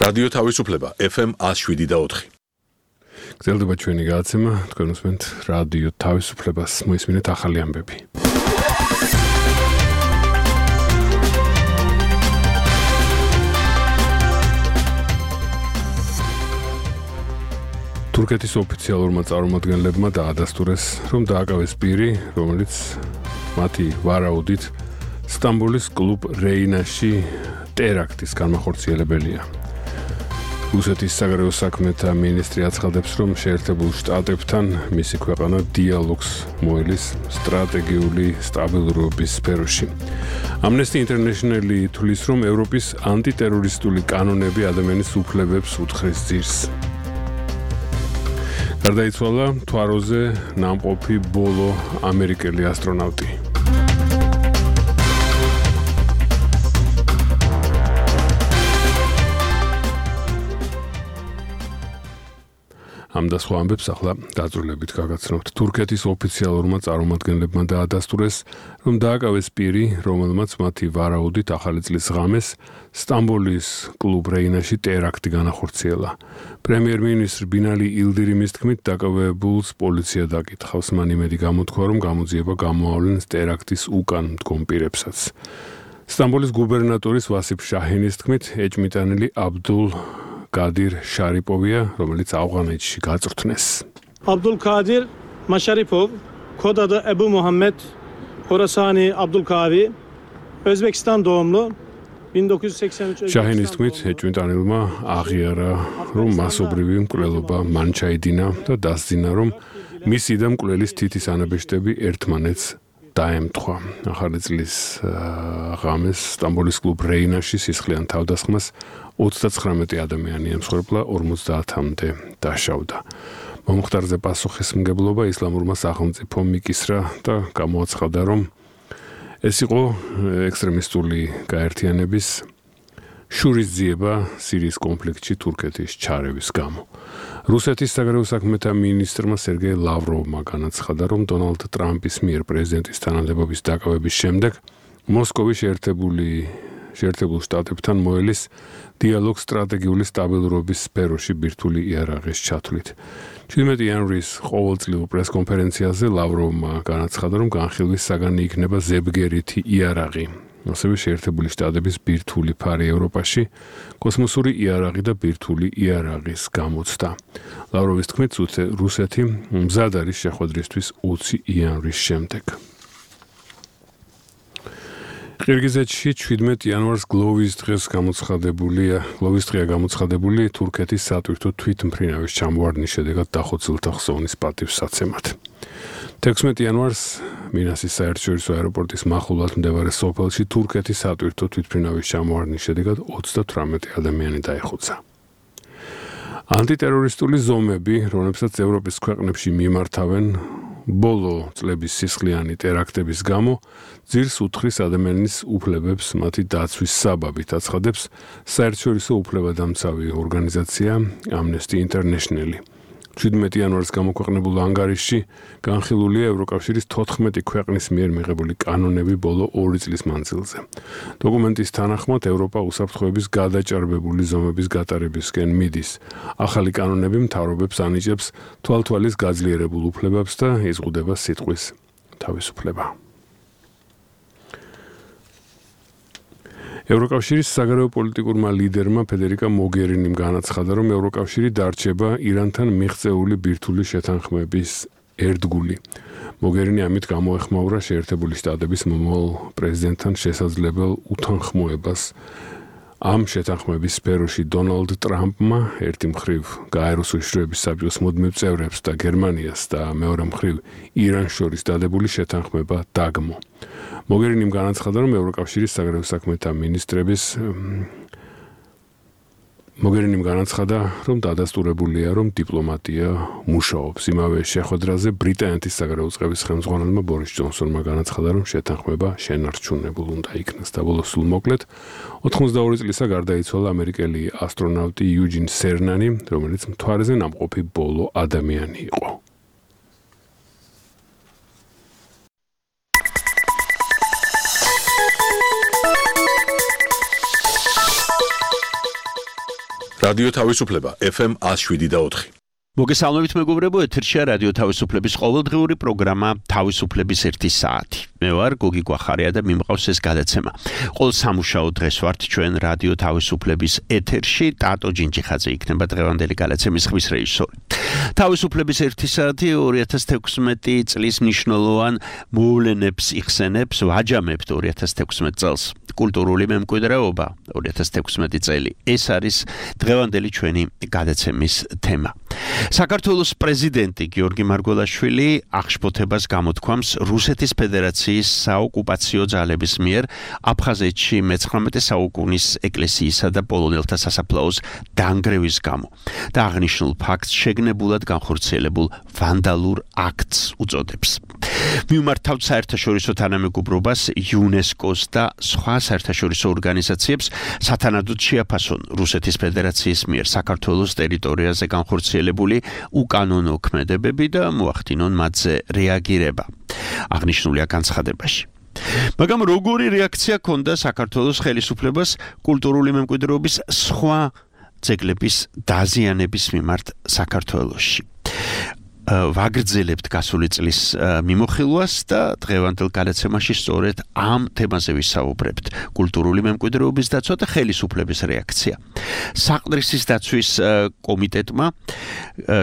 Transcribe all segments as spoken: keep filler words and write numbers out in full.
რადიო თავისუფლება ეფ ემ one oh seven და four. გრძელდება ჩვენი გადაცემა, თქვენ უსმენთ რადიო თავისუფლებას, მოისმინეთ ახალი ამბები. თურქეთის ოფიციალურმა წარმომადგენლებმა დაადასტურეს, რომ დააკავეს პირი, რომელიც მათი ვარაუდით სტამბოლის კლუბ რეინაში ტერაქტის განმახორციელებელია. რუსეთის საგარეო საქმეთა მინისტრი აცხადებს, რომ შეერთებულ შტატებთან მისი ქვეყანა დიალოგს მოელის სტრატეგიული სტაბილურობის სფეროში. Amnesty International თვლის, რომ ევროპის ანტიტერორისტული კანონები ადამიანის უფლებებს უთხრეს ძირს. გარდაიცვალა თვაროზე ნამყოფი ბოლო ამერიკელი ასტრონავტი. ამ და სხვა ამბებს ახლა დაწვრილებით გაგაცნობთ. თურქეთის ოფიციალურმა წარმომადგენლებმა დაადასტურეს, რომ დააკავეს პირი, რომელმაც მათი ვარაუდით ახალი წლის ღამეს სტამბოლის კლუბ რეინაში ტერაქტი განახორციელა. პრემიერ-მინისტრ ბინალი ილდირიმის თქმით, დაკავებულს პოლიცია დაკითხავს. მან იმედი გამოთქვა, რომ გამოძიება გამოავლენს ტერაქტის უკან მდგომ პირებსაც. სტამბოლის გუბერნატორის ვასიფ შაჰინის თქმით, ეჭმიტანილი აბდულ კადირ შარიპოვია, რომელიც ავღანეთში გაწვრთნეს. Abdul Kadir Masharipov, kod adı Ebu Muhammed Horasani Abdulkavi, Özbekistan doğumlu, bin dokuz yüz seksen üç შაჰინის თქმით, ეჭვმიტანილმა აღიარა, რომ მასობრივი მკვლელობა მან ჩაიდინა და დასძინა, რომ მისი და მკვლელის თითის ანაბეჭდები ერთმანეთს დაემთხვა. ახალი წლის ღამეს სტამბოლის კლუბ რეინაში სისხლიან თავდასხმას ოცდაცხრამეტი ადამიანი ემსხვერპლა, ორმოცდაათამდე დაშავდა. მომხდარზე პასუხისმგებლობა ისლამურმა სახელმწიფომ მიკისრა და გამოაცხადა, რომ ეს იყო ექსტრემისტული გაერთიანების შურისძიება სირიის კონფლიქტში თურქეთის ჩარევის გამო. რუსეთის საგარეო საქმეთა მინისტრმა სერგეი ლავროვმა განაცხადა, რომ დონალდ ტრამპის მიერ პრეზიდენტის თანამდებობის დაკავების შემდეგ მოსკოვი შეერთებული შეერთებულ შტატებთან მოელის დიალოგ სტრატეგიული სტაბილურობის სფეროში ბირთვული იარაღის ჩათვლით. შვიდმეტი იანვრის ყოველწლიურ პრესკონფერენციაზე ლავროვმა განაცხადა, რომ განხილვის საგანი იქნება ზებგერითი იარაღი. ასევე შეერთებული შტატების ბირთვული ფარი ევროპაში, კოსმოსური იარაღი და ბირთვული იარაღის გამოცდა. ლავროვის თქმით, რუსეთი მზად არის შეხვედრისთვის ოცი იანვრის შემდეგ. ყირგიზეთში შვიდმეტი იანვარს გლოვის დღეს გამოცხადებულია, გლოვის დღეა გამოცხადებული თურქეთის სატვირთო თვითმფრინავის ჩამოვარდნის შედეგად დახოცილთა ხსოვნის პატივსაცემად. თექვსმეტი იანვარს მინასის საერთაშორისო აეროპორტის მახლობლად მდებარე სოფელში თურქეთის სატვირთო თვითმფრინავის ჩამოვარდნის შედეგად ოცდათვრამეტი ადამიანი დაიხოცა. ანტიტერორისტული ზომები, რომლებსაც ევროპის ქვეყნებში მიმართავენ ბოლო წლების სისხლიანი ტერაქტების გამო, ძირს უთხრის ადამიანის უფლებებს მათი დაცვის საბაბით, აცხადებს საერთაშორისო უფლებადამცავი ორგანიზაცია Amnesty International. შვიდმეტი იანვარს გამოქვეყნებულ ანგარიშში განხილულია ევროკავშირის თოთხმეტი ქვეყნის მიერ მიღებული კანონები ბოლო ორი წლის მანძილზე. დოკუმენტის თანახმად ევროპა უსაფრთხოების გადაჭარბებული ზომების გატარებისკენ მიდის. ახალი კანონები მთავრობებს ანიჭებს თვალთვალის გაძლიერებულ უფლებებს და იზღუდება სიტყვის თავისუფლება. ევროკავშირის საგარეო პოლიტიკურმა ლიდერმა ფედერიკა მოგერინიმ განაცხადა, რომ ევროკავშირი დარჩება ირანთან მიღწეული ბირთვული შეთანხმების ერთგული. მოგერინი ამით გამოეხმაურა შეერთებული შტატების მომავალ პრეზიდენტთან შესაძლებელ უთანხმოებას. ამ შეთანხმების სფეროში დონალდ ტრამპმა ერთი მხრივ გაეროს უშიშროების საბჭოს მუდმივ წევრებს და გერმანიას და მეორე მხრივ ირანს შორის დადებული შეთანხმება დაგმო. მოგერინიმ განაცხადა, რომ ევროკავშირის საგარეო საქმეთა მინისტრების მოგერინიმ განაცხადა, რომ დადასტურებულია, რომ დიპლომატია მუშაობს. იმავე შეხვედრაზე ბრიტანეთის საგარეო წყების ხელმძღვანელმა ბორის ჯონსონმა განაცხადა, რომ შეთანხმება შენარჩუნებულ უნდა იქნას. და ბოლოს სულ მოკლედ ოთხმოცდაორი წლისა გარდაიცვალა ამერიკელი ასტრონავტი იუჯინ სერნანი, რომელიც მთვარეზე ნამყოფი ბოლო ადამიანი იყო. რადიო თავისუფლება ეფ ემ one oh seven point four. მოგესალმებით მეგობრებო, ეთერშია რადიო თავისუფლების ყოველდღიური პროგრამა თავისუფლების ერთი საათი. მე ვარ გოგი გვახარია და მიმყავს ეს გადაცემა. ყოველ სამუშაო დღეს ვართ ჩვენ რადიო თავისუფლების ეთერში, ტატო ჯინჯიხაძე იქნება დღევანდელი გადაცემის ხმის რეჟისორი. თავისუფლების ერთი საათი ორი ათას თექვსმეტი წლის მნიშვნელოვან მოვლენებს იხსენებს, ვაჯამებთ ორი ათას თექვსმეტ წელს. კულტურული მემკვიდრეობა ორი ათას თექვსმეტი წელი. ეს არის დღევანდელი ჩვენი გადაცემის თემა. საქართველოს პრეზიდენტი გიორგი მარგველაშვილი აღშფოთებას გამოთქვამს რუსეთის ფედერაციის საოკუპაციო ძალების მიერ აფხაზეთში მეცხრამეტე საუკუნის ეკლესიისა და პოლონელთა სასაფლაოს დანგრევის გამო და აღნიშნულ ფაქტს შეგნებულად განხორციელებულ ვანდალურ აქტს უწოდებს. მიმართავთ საერთაშორისო თანამეგობრობას, იუნესკოს და სხვა საერთაშორისო ორგანიზაციებს სათანადოდ შეაფასონ რუსეთის ფედერაციის მიერ საქართველოს ტერიტორიაზე განხორციელებული უკანონო ქმედებები და მოახდინონ მათზე რეაგირება. აღნიშნულია განცხადებაში. მაგრამ როგორი რეაქცია ჰქონდა საქართველოს ხელისუფლებას კულტურული მემკვიდრეობის სხვა ძეგლების დაზიანების მიმართ საქართველოში? ვაგრძელებთ გასული წლის მიმოხილვას და დღევანდელ გადაცემაში სწორედ ამ თემაზე ვისაუბრებთ. კულტურული მემკვიდრეობის დაცვა და ხელისუფლების რეაქცია. საყდრისის დაცვის კომიტეტმა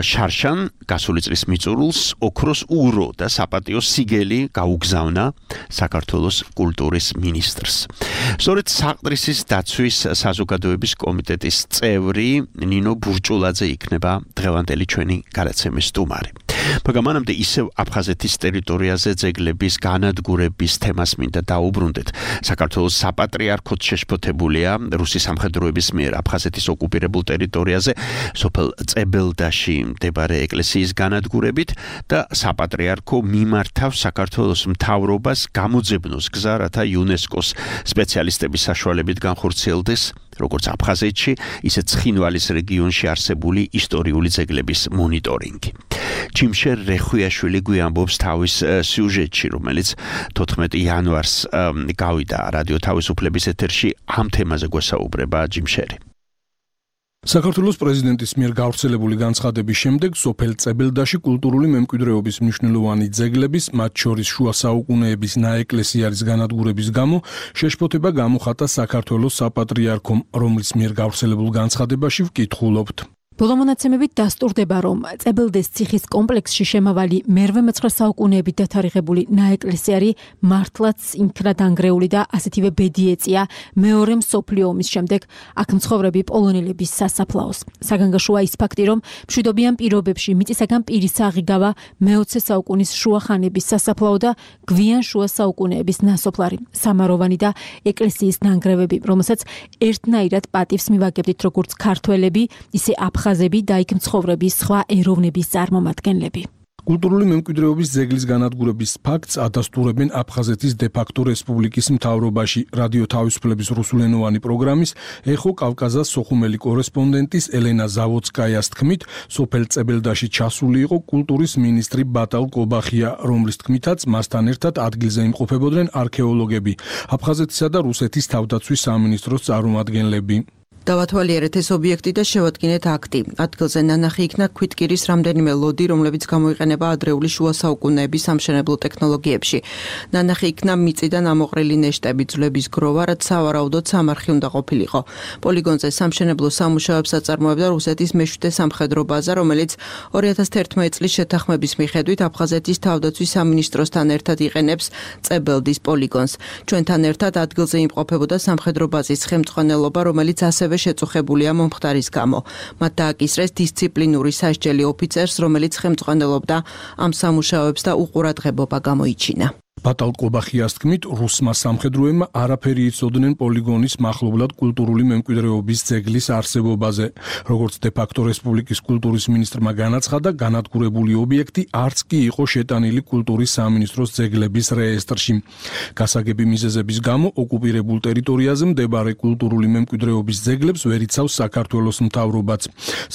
შარშან გასული წლის მიწურულს ოქროს ურო და საპატიო სიგელი გაუგზავნა საქართველოს კულტურის მინისტრს. სწორედ საყდრისის დაცვის საზოგადოების კომიტეტის წევრი ნინო ბურჭულაძე იქნება დღევანდელი ჩვენი გადაცემის სტუმარი. მაგრამ მანამდე ისევ აფხაზეთის ტერიტორიაზე ძეგლების განადგურების თემას მინდა დაუბრუნდეთ. საქართველოს საპატრიარქოც შეშფოთებულია რუსი სამხედროების მიერ აფხაზეთის ოკუპირებულ ტერიტორიაზე სოფელ წებელდაში მდებარე ეკლესიის განადგურებით და საპატრიარქო მიმართავს საქართველოს მთავრობას გამოძებნოს გზა, რათა იუნესკოს სპეციალისტების საშუალებით განხორციელდეს როგორც აფხაზეთში, ისე ცხინვალის რეგიონში არსებული ისტორიული ძეგლების მონიტორინგი. ჯიმშერ რეხვიაშვილი გვიამბობს თავის სიუჟეტში, რომელიც თოთხმეტი იანვარს გავიდა რადიო თავისუფლების ეთერში. ამ თემაზე გვესაუბრება ჯიმშერი. საქართველოს პრეზიდენტის მიერ გავრცელებული განცხადების შემდეგ სოფელ წებელდაში კულტურული მემკვიდრეობის მნიშვნელოვანი ძეგლების, მათ შორის შუა საუკუნეების ნაეკლესიარის განადგურების გამო შეშფოთება გამოხატა საქართველოს საპატრიარქომ, რომლის მიერ გავრცელებულ განცხადებაში ვკითხულობთ. ბოლო მონაცემებით დასტურდება, რომ წებელდეს ციხის კომპლექსში შემავალი მერვე მეცხრე საუკუნეებით დათარიღებული ნაეკლესიარი მართლაც იქნა დანგრეული და ასეთივე ბედი ეწია მეორე მსოფლიო ომის შემდეგ აქ მცხოვრები პოლონელების სასაფლაოს. საგანგაშოა ის ფაქტი, რომ მშვიდობიან პირობებში მიწისაგან პირის აღიგავა მეოცე საუკუნის შუახანების სასაფლაო და გვიან შუა საუკუნეების ნასოფლარი, სამაროვანი და ეკლესიის ნანგრევები, რომელსაც ერთნაირად პატივს მივაგებდით როგორც ქართველები, ისე აფხაზები და იქ მცხოვრები სხვა ეროვნების წარმომადგენლები. კულტურული მემკვიდრეობის ძეგლის განადგურების ფაქტს ადასტურებენ აფხაზეთის დე-ფაქტო რესპუბლიკის მთავრობაში. რადიო თავისუფლების რუსულენოვანი პროგრამის ეხო კავკაზას სოხუმელი კორესპონდენტის ელენა ზავოცკაიას თქმით, სოფელ წებელდაში ჩასული იყო კულტურის მინისტრი ბატალ კობახია, რომლის თქმითაც მასთან ერთად ადგილზე იმყოფებოდნენ არქეოლოგები, აფხაზეთისა და რუსეთის თავდაცვის სამინისტროს წარმომადგენლები. დავათვალიერეთ ეს ობიექტი და შევადგინეთ აქტი. ადგილზე ნანახი იქნა ქვითკირის რამდენიმე ლოდი, რომლებიც გამოიყენება ადრეული შუა საუკუნეების სამშენებლო ტექნოლოგიებში. ნანახი იქნა მიწიდან ამოყრილი ნეშტები, ძვლების გროვა, რაც სავარაუდოდ სამარხი უნდა ყოფილიყო. პოლიგონზე სამშენებლო სამუშაოებს აწარმოებდა რუსეთის მეშვიდე სამხედრო ბაზა, რომელიც ორი ათას თერთმეტი წლის შეთანხმების მიხედვით აფხაზეთის თავდაცვის სამინისტროსთან ერთად იყენებს წებელდის პოლიგონს. ჩვენთან ერთად ადგილზე იმყოფებოდა სამხედრო ბაზის ხელმძღვანელობა, რომელიც ასევე შეწუხებულია მომხდარის გამო. მათ დააკისრეს დისციპლინური სასჯელი ოფიცერს, რომელიც ხელმძღვანელობდა ამ სამუშაოებს და უყურადღებობა გამოიჩინა. ბატალ კობახიას თქმით, რუსმა სამხედროებმა არაფერი იცოდნენ პოლიგონის მახლობლად კულტურული მემკვიდრეობის ძეგლის არსებობაზე. როგორც დე-ფაქტო რესპუბლიკის კულტურის მინისტრმა განაცხადა, განადგურებული ობიექტი არც კი იყო შეტანილი კულტურის სამინისტროს ძეგლების რეესტრში. გასაგები მიზეზების გამო ოკუპირებულ ტერიტორიაზე მდებარე კულტურული მემკვიდრეობის ძეგლებს ვერ იცავს საქართველოს მთავრობაც.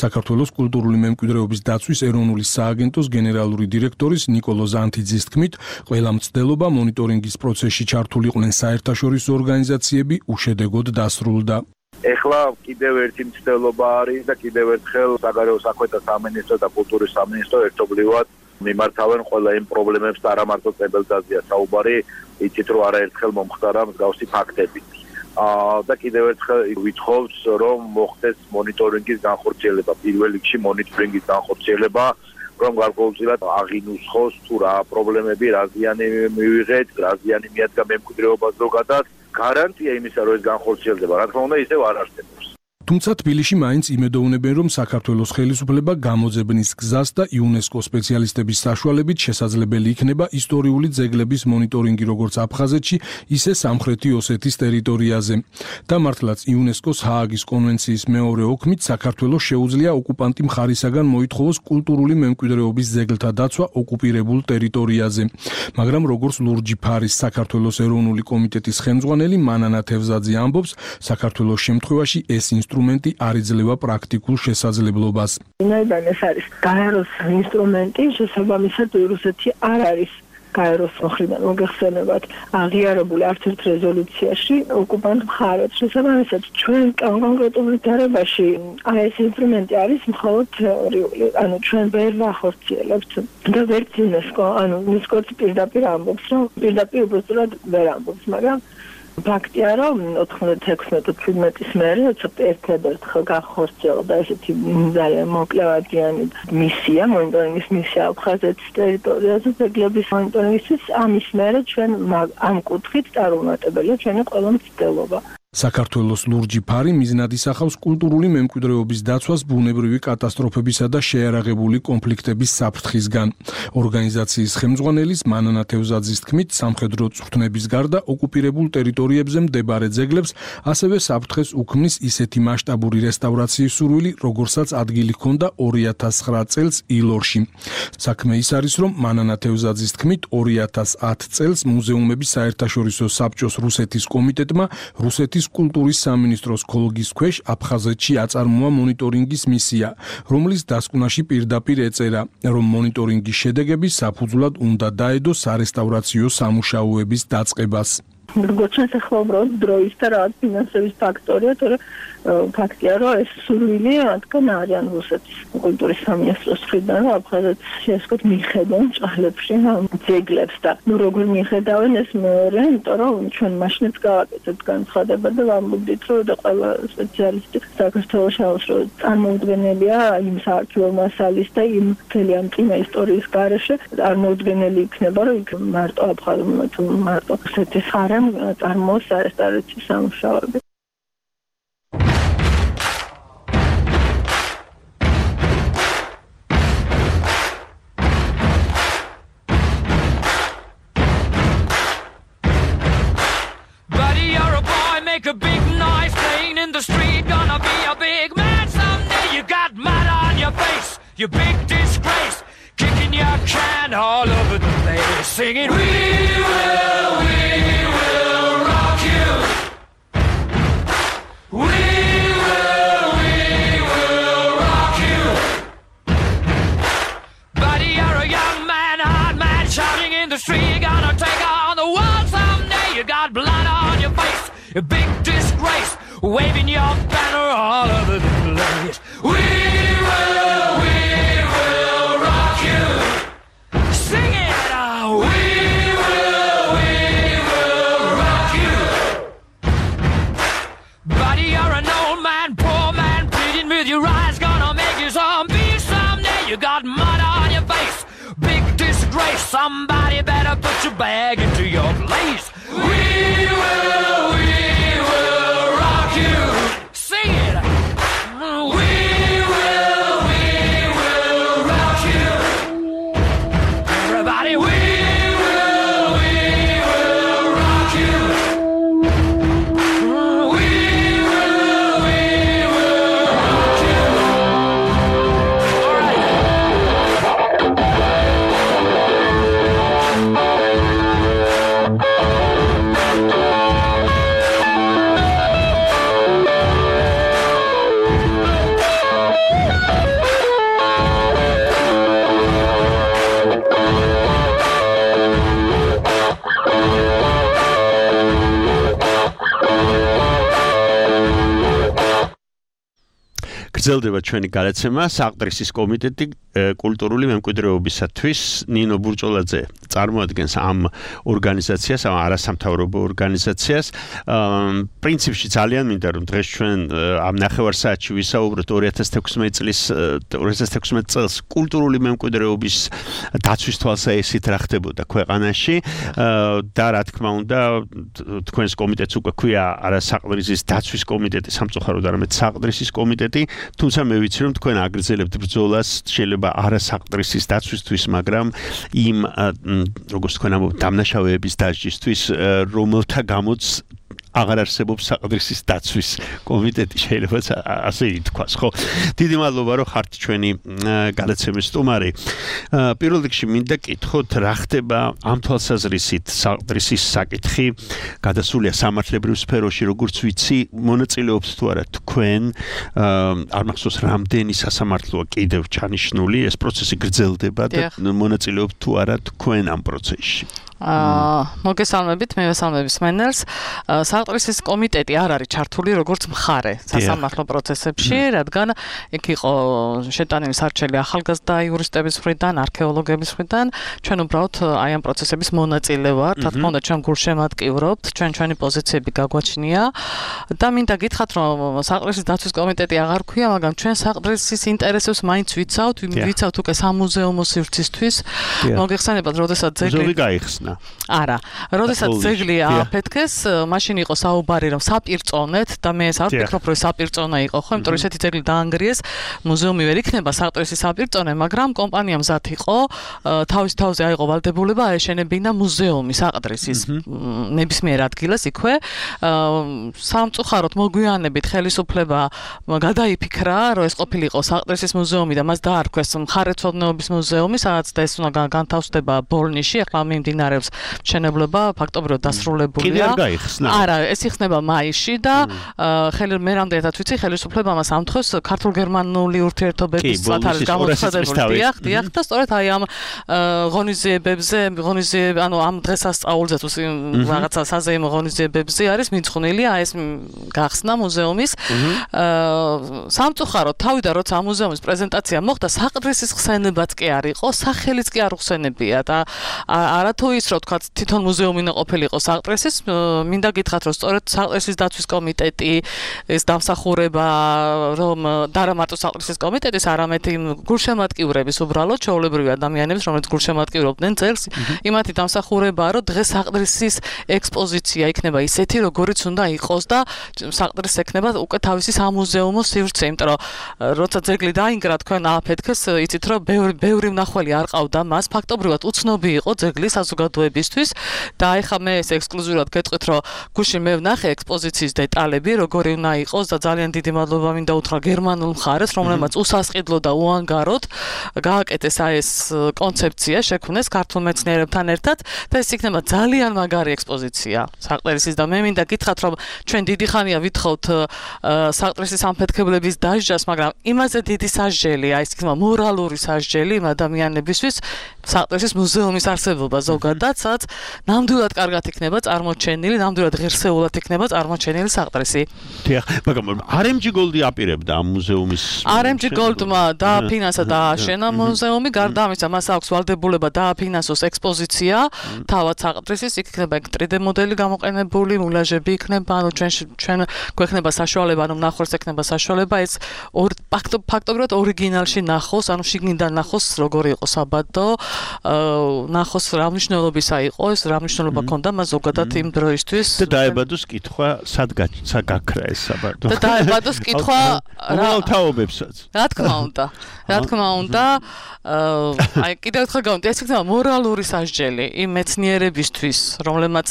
საქართველოს კულტურული მემკვიდრეობის დაცვის ეროვნული სააგენტოს გენერალური დირექტორის ნიკოლო ზანთიძის თქმით, ყველა მცდელობა მონიტორინგის პროცესში ჩართულიყვნენ საერთაშორისო ორგანიზაციები, უშედეგოდ დასრულდა. ეხლა კიდევ ერთი მცდელობა არის და კიდევ ერთხელ საგარეო საქმეთა სამინისტრო და კულტურის სამინისტრო ერთობლივად მიმართავენ ყველა იმ პრობლემებს და არა მარტო წებელდაზეა საუბარი, იცით რომ არაერთხელ მომხდარა მსგავსი ფაქტები. აა და კიდევ ერთხელ ვითხოვს რომ მოხდეს მონიტორინგის განხორციელება, პირველ რიგში მონიტორინგის განხორციელება, რომ გარკვეულწილად აღინუსხოს თუ რა პრობლემები, რა ზიანი მივიღეთ, რა ზიანი მიადგა მემკვიდრეობას ზოგადად, გარანტია იმისა, რომ ეს განხორციელდება, რა თქმა უნდა, ისევ არ არსებობს. თუმცა თბილისში მაინც იმედოვნებენ, რომ საქართველოს ხელისუფლება გამოძებნის გზას და იუნესკო სპეციალისტების საშუალებით შესაძლებელი იქნება ისტორიული ძეგლების მონიტორინგი როგორც აფხაზეთში, ისე სამხრეთი ოსეთის ტერიტორიაზე. და მართლაც იუნესკოს ჰააგის კონვენციის მეორე ოქმით საქართველოს შეუძლია ოკუპანტი მხარისაგან მოითხოვოს კულტურული მემკვიდრეობის ძეგლთა დაცვა ოკუპირებულ ტერიტორიაზე. მაგრამ როგორც ლურჯი ფარის საქართველოს ეროვნული კომიტეტის ხელმძღვანელი მანანა თევზაძე ამბობს, საქართველოს შემთხვევაში ეს ინსტრუმენტი არ იძლევა პრაქტიკულ შესაძლებლობას. ვინაიდან ეს არის გაეროს ინსტრუმენტი, შესაბამისად რუსეთი არ არის გაეროს მხრიდან მოგეხსენებათ აღიარებული არც ერთ რეზოლუციაში ოკუპანტ მხარებს. შესაბამისად ჩვენ კონკრეტულ ვითარებაში აი ეს ინსტრუმენტი არის მხოლოდ თეორიული, ანუ ჩვენ ვერ ვახორციელებთ და ვერც იუნესკო, ანუ იუნესკოც პირდაპირ ამბობს, რომ პირდაპირ უბრალოდ ვერ ამბობს, მაგრამ ფაქტია, რომ ოთხმოცდათექვსმეტი ოცდაათის მერე ერთადერთხელ განხორციელდა ესეთი ძალიან მოკლევადიანი მისია, მონიტორინგის მისია აფხაზეთის ტერიტორიაზე ძეგლების მონიტორინგისთვის. ამის მერე ჩვენ ამ კუთხით წარუმატებელია ჩვენი ყველა მცდელობა. საქართველოს ლურჯი ფარი მიზნად ისახავს კულტურული მემკვიდრეობის დაცვას ბუნებრივი კატასტროფებისა და შეიარაღებული კონფლიქტების საფრთხისგან. ორგანიზაციის ხელმძღვანელის მანანა თევზაძის თქმით, სამხედრო წვრთნების გარდა ოკუპირებულ ტერიტორიებზე მდებარე ძეგლებს ასევე საფრთხეს უქმნის ისეთი მასშტაბური რესტავრაციის სურვილი, როგორსაც ადგილი ჰქონდა ორი ათას ცხრა წელს ილორში. საქმე ის არის, რომ მანანა თევზაძის თქმით, ორი ათას ათ წელს მუზეუმების საერთაშორისო საბჭოს რუსეთის კომიტეტმა რუსეთის კულტურის სამინისტროს ქოლგის ქვეშ აფხაზეთში აწარმოა მონიტორინგის მისია, რომლის დასკვნაში პირდაპირ ეწერა, რომ მონიტორინგის შედეგები საფუძვლად უნდა დაედო სარესტავრაციო სამუშაოების დაწყებას. როგორც ჩვენ ახლა უბრალოდ დროის და რაღაც ფინანსების ფაქტორია, თორე ფაქტია, რომ ეს სურვილი რადგან არიან რუსეთის კულტურის სამინისტროს მხრიდან, რომ აფხაზეთს შეესკოთ მიხედონ ჭალებში ძეგლებს და ნუ როგორ მიხედავენ ეს მეორე, იმიტომ რომ ჩვენ მაშინაც გავაკეთეთ განცხადება და ვამბობდით, რომ და ყველა სპეციალისტი საქართველოს შევს, რომ წარმოუდგენელია იმ საარქივო მასალის და იმ მთელი ამ წინა ისტორიის გარეშე წარმოუდგენელი იქნება, რომ იქ მარტო აფხაზმა თუ მარტო რუსეთის ხარემ წარმოოს სარესტავრაციო სამუშაოები. Make a big noise playing in the street, gonna be a big man someday. You got mud on your face, you big disgrace, kicking your can all over the place, singing, we will, we will rock you. We will, we will rock you. Buddy, you're a young man, hard man, shouting in the street, gonna take on the world someday. You got blood on your face, a big disgrace, waving your banner all over the place. We will, we will rock you. Sing it out. We will, we will rock you. Buddy, you're an old man, poor man, pleading with your eyes, gonna make you zombie someday. You got mud on your face, big disgrace. Somebody better put your bag into your place. We will, we will rock you. Sing it. We will, we will rock you. Everybody, we will, we will rock you. We will, we will rock you. All right. გრძელდება ჩვენი გადაცემა საყდრისის კომიტეტი კულტურული მემკვიდრეობისათვის ნინო ბურჭოლაძე წარმოადგენს ამ ორგანიზაციას, ამ არასამთავრობო ორგანიზაციას. პრინციპში ძალიან მინდა რომ დღეს ჩვენ ამ ნახევარსაათში ვისაუბროთ ორი ათას თექვსმეტი წლის ორი ათას თექვსმეტი წელს კულტურული მემკვიდრეობის დაცვის თვალსაჩინოდ რა ხდებოდა ქვეყანაში და რა თქმა უნდა თქვენს კომიტეტს უკვე ქვია არასაყდრისის დაცვის კომიტეტი, სამწუხაროდ არამედ საყდრისის კომიტეტი, თუმცა მე ვიცი რომ თქვენ აგრძელებთ ბრძოლას შეიძლება არასაყდრისის დაცვისთვის, მაგრამ იმ როგორც თქვენ ამბობთ დამნაშავეების დასჯისთვის, რომელთა გამოც აღარ არსებობს საყდრისის დაცვის კომიტეტი, შეიძლება ასე ითქვას, ხო? დიდი მადლობა რომ ხართ ჩვენი გადაცემის სტუმარი. პირველ რიგში მინდა კითხოთ, რა ხდება ამ თვალსაზრისით საყდრისის საკითხი გადასულია სამართლებრივ სფეროში, როგორც ვიცი, მონაწილეობთ თუ არა თქვენ, არ მახსოვს რამდენი სასამართლოა კიდევ ჩანიშნული, ეს პროცესი გრძელდება და მონაწილეობთ თუ არა თქვენ ამ პროცესში. აა მოგესალმებით, მე ვესალმები სმენელს. საყდრისის კომიტეტი არ არის ჩართული როგორც მხარე სასამართლო პროცესებში, რადგან იქ იყო შეტანილი სარჩელი ახალგაზრდა იურისტების მხრიდან, არქეოლოგების მხრიდან. ჩვენ უბრალოდ აი ამ პროცესების მონაწილე ვართ, რა თქმა უნდა, ჩვენ გულშემატკივრობთ, ჩვენ ჩვენი პოზიციები გაგვაჩნია და მინდა გითხრათ, რომ საყდრისის დაცვის კომიტეტი აღარ ქვია, მაგრამ ჩვენ საყდრისის ინტერესებს მაინც ვიცავთ, ვიცავთ უკვე სამუზეუმო სივრცისთვის. მოგეხსენებათ, როდესაც ძეგლი გაიხსნა არა, როდესაც ძეგლი აფეთქეს, მაშინ იყო საუბარი რომ საპირწონეთ და მე ეს არ ვფიქრობ რომ საპირწონე იყო, ხო, იმიტომ რომ ესეთი ძეგლი დაანგრიეს, მუზეუმი ვერ იქნება საყდრისის საპირწონე, მაგრამ კომპანია მზად იყო, თავის თავზე აიღო ვალდებულება აეშენებინა მუზეუმი საყდრისის ნებისმიერ ადგილას იქვე. სამწუხაროდ მოგვიანებით ხელისუფლება გადაიფიქრა, რომ ეს ყოფილიყო საყდრისის მუზეუმი და მას დაარქვეს მხარეთმცოდნეობის მუზეუმი, სადაც ეს უნდა განთავსდება ბოლნისში, ახლა მიმდინარე მშენებლობა ფაქტობრივად დასრულებულია. კიდე არ გაიხსნა? არა, ეს იხსნება მაისში და ხელი მე რამდენადაც ვიცი, ხელისუფლება მას ამთხოვს ქართულ-გერმანული ურთიერთობების წლად არის გამოცხადებული. დიახ, დიახ, და სწორედ აი ამ ღონისძიებებზე, ღონისძიებ, ანუ ამ დღესასწაულზე თუ რაღაცა საზეიმო ღონისძიებებზე არის მიძღვნილი აი ეს გახსნა მუზეუმის. სამწუხაროდ თავიდან როცა ამ მუზეუმის პრეზენტაცია მოხდა, საყდრისის ხსენებაც კი არ იყო, სახელიც კი არ უხსენებია და არათუ ის რომ თქვა თვითონ მუზეუმი უნდა ყოფილიყო საყდრისის, მინდა გითხრათ რომ სწორედ საყდრისის დაცვის კომიტეტი ეს დამსახურება რომ და არა მარტო საყდრისის კომიტეტის, არამედ იმ გულშემატკივრების უბრალოდ ჩვეულებრივი ადამიანების, რომლებიც გულშემატკივრობდნენ ძეგლს, იმათი დამსახურებაა რომ დღეს საყდრისის ექსპოზიცია იქნება ისეთი, როგორიც უნდა იყოს და საყდრისს ექნება უკვე თავისი სამუზეუმო სივრცე, იმიტომ რომ როცა ძეგლი დაინგრა, თქვენ ააფეთქეს, იცით რომ ბევრი ბევრი მნახველი არ ყავდა მას, ფაქტობრივად უცნობი იყო ძეგლი საზოგადოებისთვის და ეხლა მე ეს ექსკლუზიურად გეტყვით, რომ გუშინ მე ვნახე ექსპოზიციის დეტალები, როგორი უნდა იყოს და ძალიან დიდი მადლობა მინდა უთხრა გერმანულ მხარეს, რომელმაც უსასყიდლო და უანგაროდ გააკეთეს აი ეს კონცეფცია, შექმნეს ქართულ მეცნიერებთან ერთად და ეს იქნება ძალიან მაგარი ექსპოზიცია საყდრისის და მე მინდა გითხრათ, რომ ჩვენ დიდი ხანია ვითხოვთ საყდრისის ამფეთქებლების დასჯას, მაგრამ იმაზე დიდი სასჯელი, აი ეს იქნება მორალური სასჯელი იმ ადამიანებისთვის, საყდრისის მუზეუმის არსებობა ზოგადად, სადაც ნამდვილად კარგად იქნება წარმოჩენილი, ნამდვილად ღირსეულად იქნება წარმოჩენილი საყდრისი. დიახ, მაგრამ არ ემ ჯი Gold-ი აპირებდა ამ მუზეუმის არ ემ ჯი Gold-მა დააფინანსა და ააშენა მუზეუმი, გარდა ამისა მას აქვს ვალდებულება დააფინანსოს ექსპოზიცია, თავად საყდრისის, იქ იქნება ტრიდე მოდელი გამოყენებული, მულაჟები იქნება, ანუ ჩვენ ჩვენ გვექნება საშუალება, ანუ ნახოს ექნება საშუალება ეს ფაქტობრივად ორიგინალში ნახოს, ანუ შიგნიდან ნახოს როგორი იყო საბადო, ნახოს რა მნიშვნელობისა იყო ეს, რა მნიშვნელობა ჰქონდა მას ზოგადად იმ დროისთვის და დაებადოს კითხვა სად გაქრა ეს საბადო და დაებადოს კითხვა რა თაობებსაც რა თქმა უნდა რა თქმა უნდა აი კიდევ ერთხელ გავუმტე ეს იქნება მორალური სასჯელი იმ მეცნიერებისთვის რომლებმაც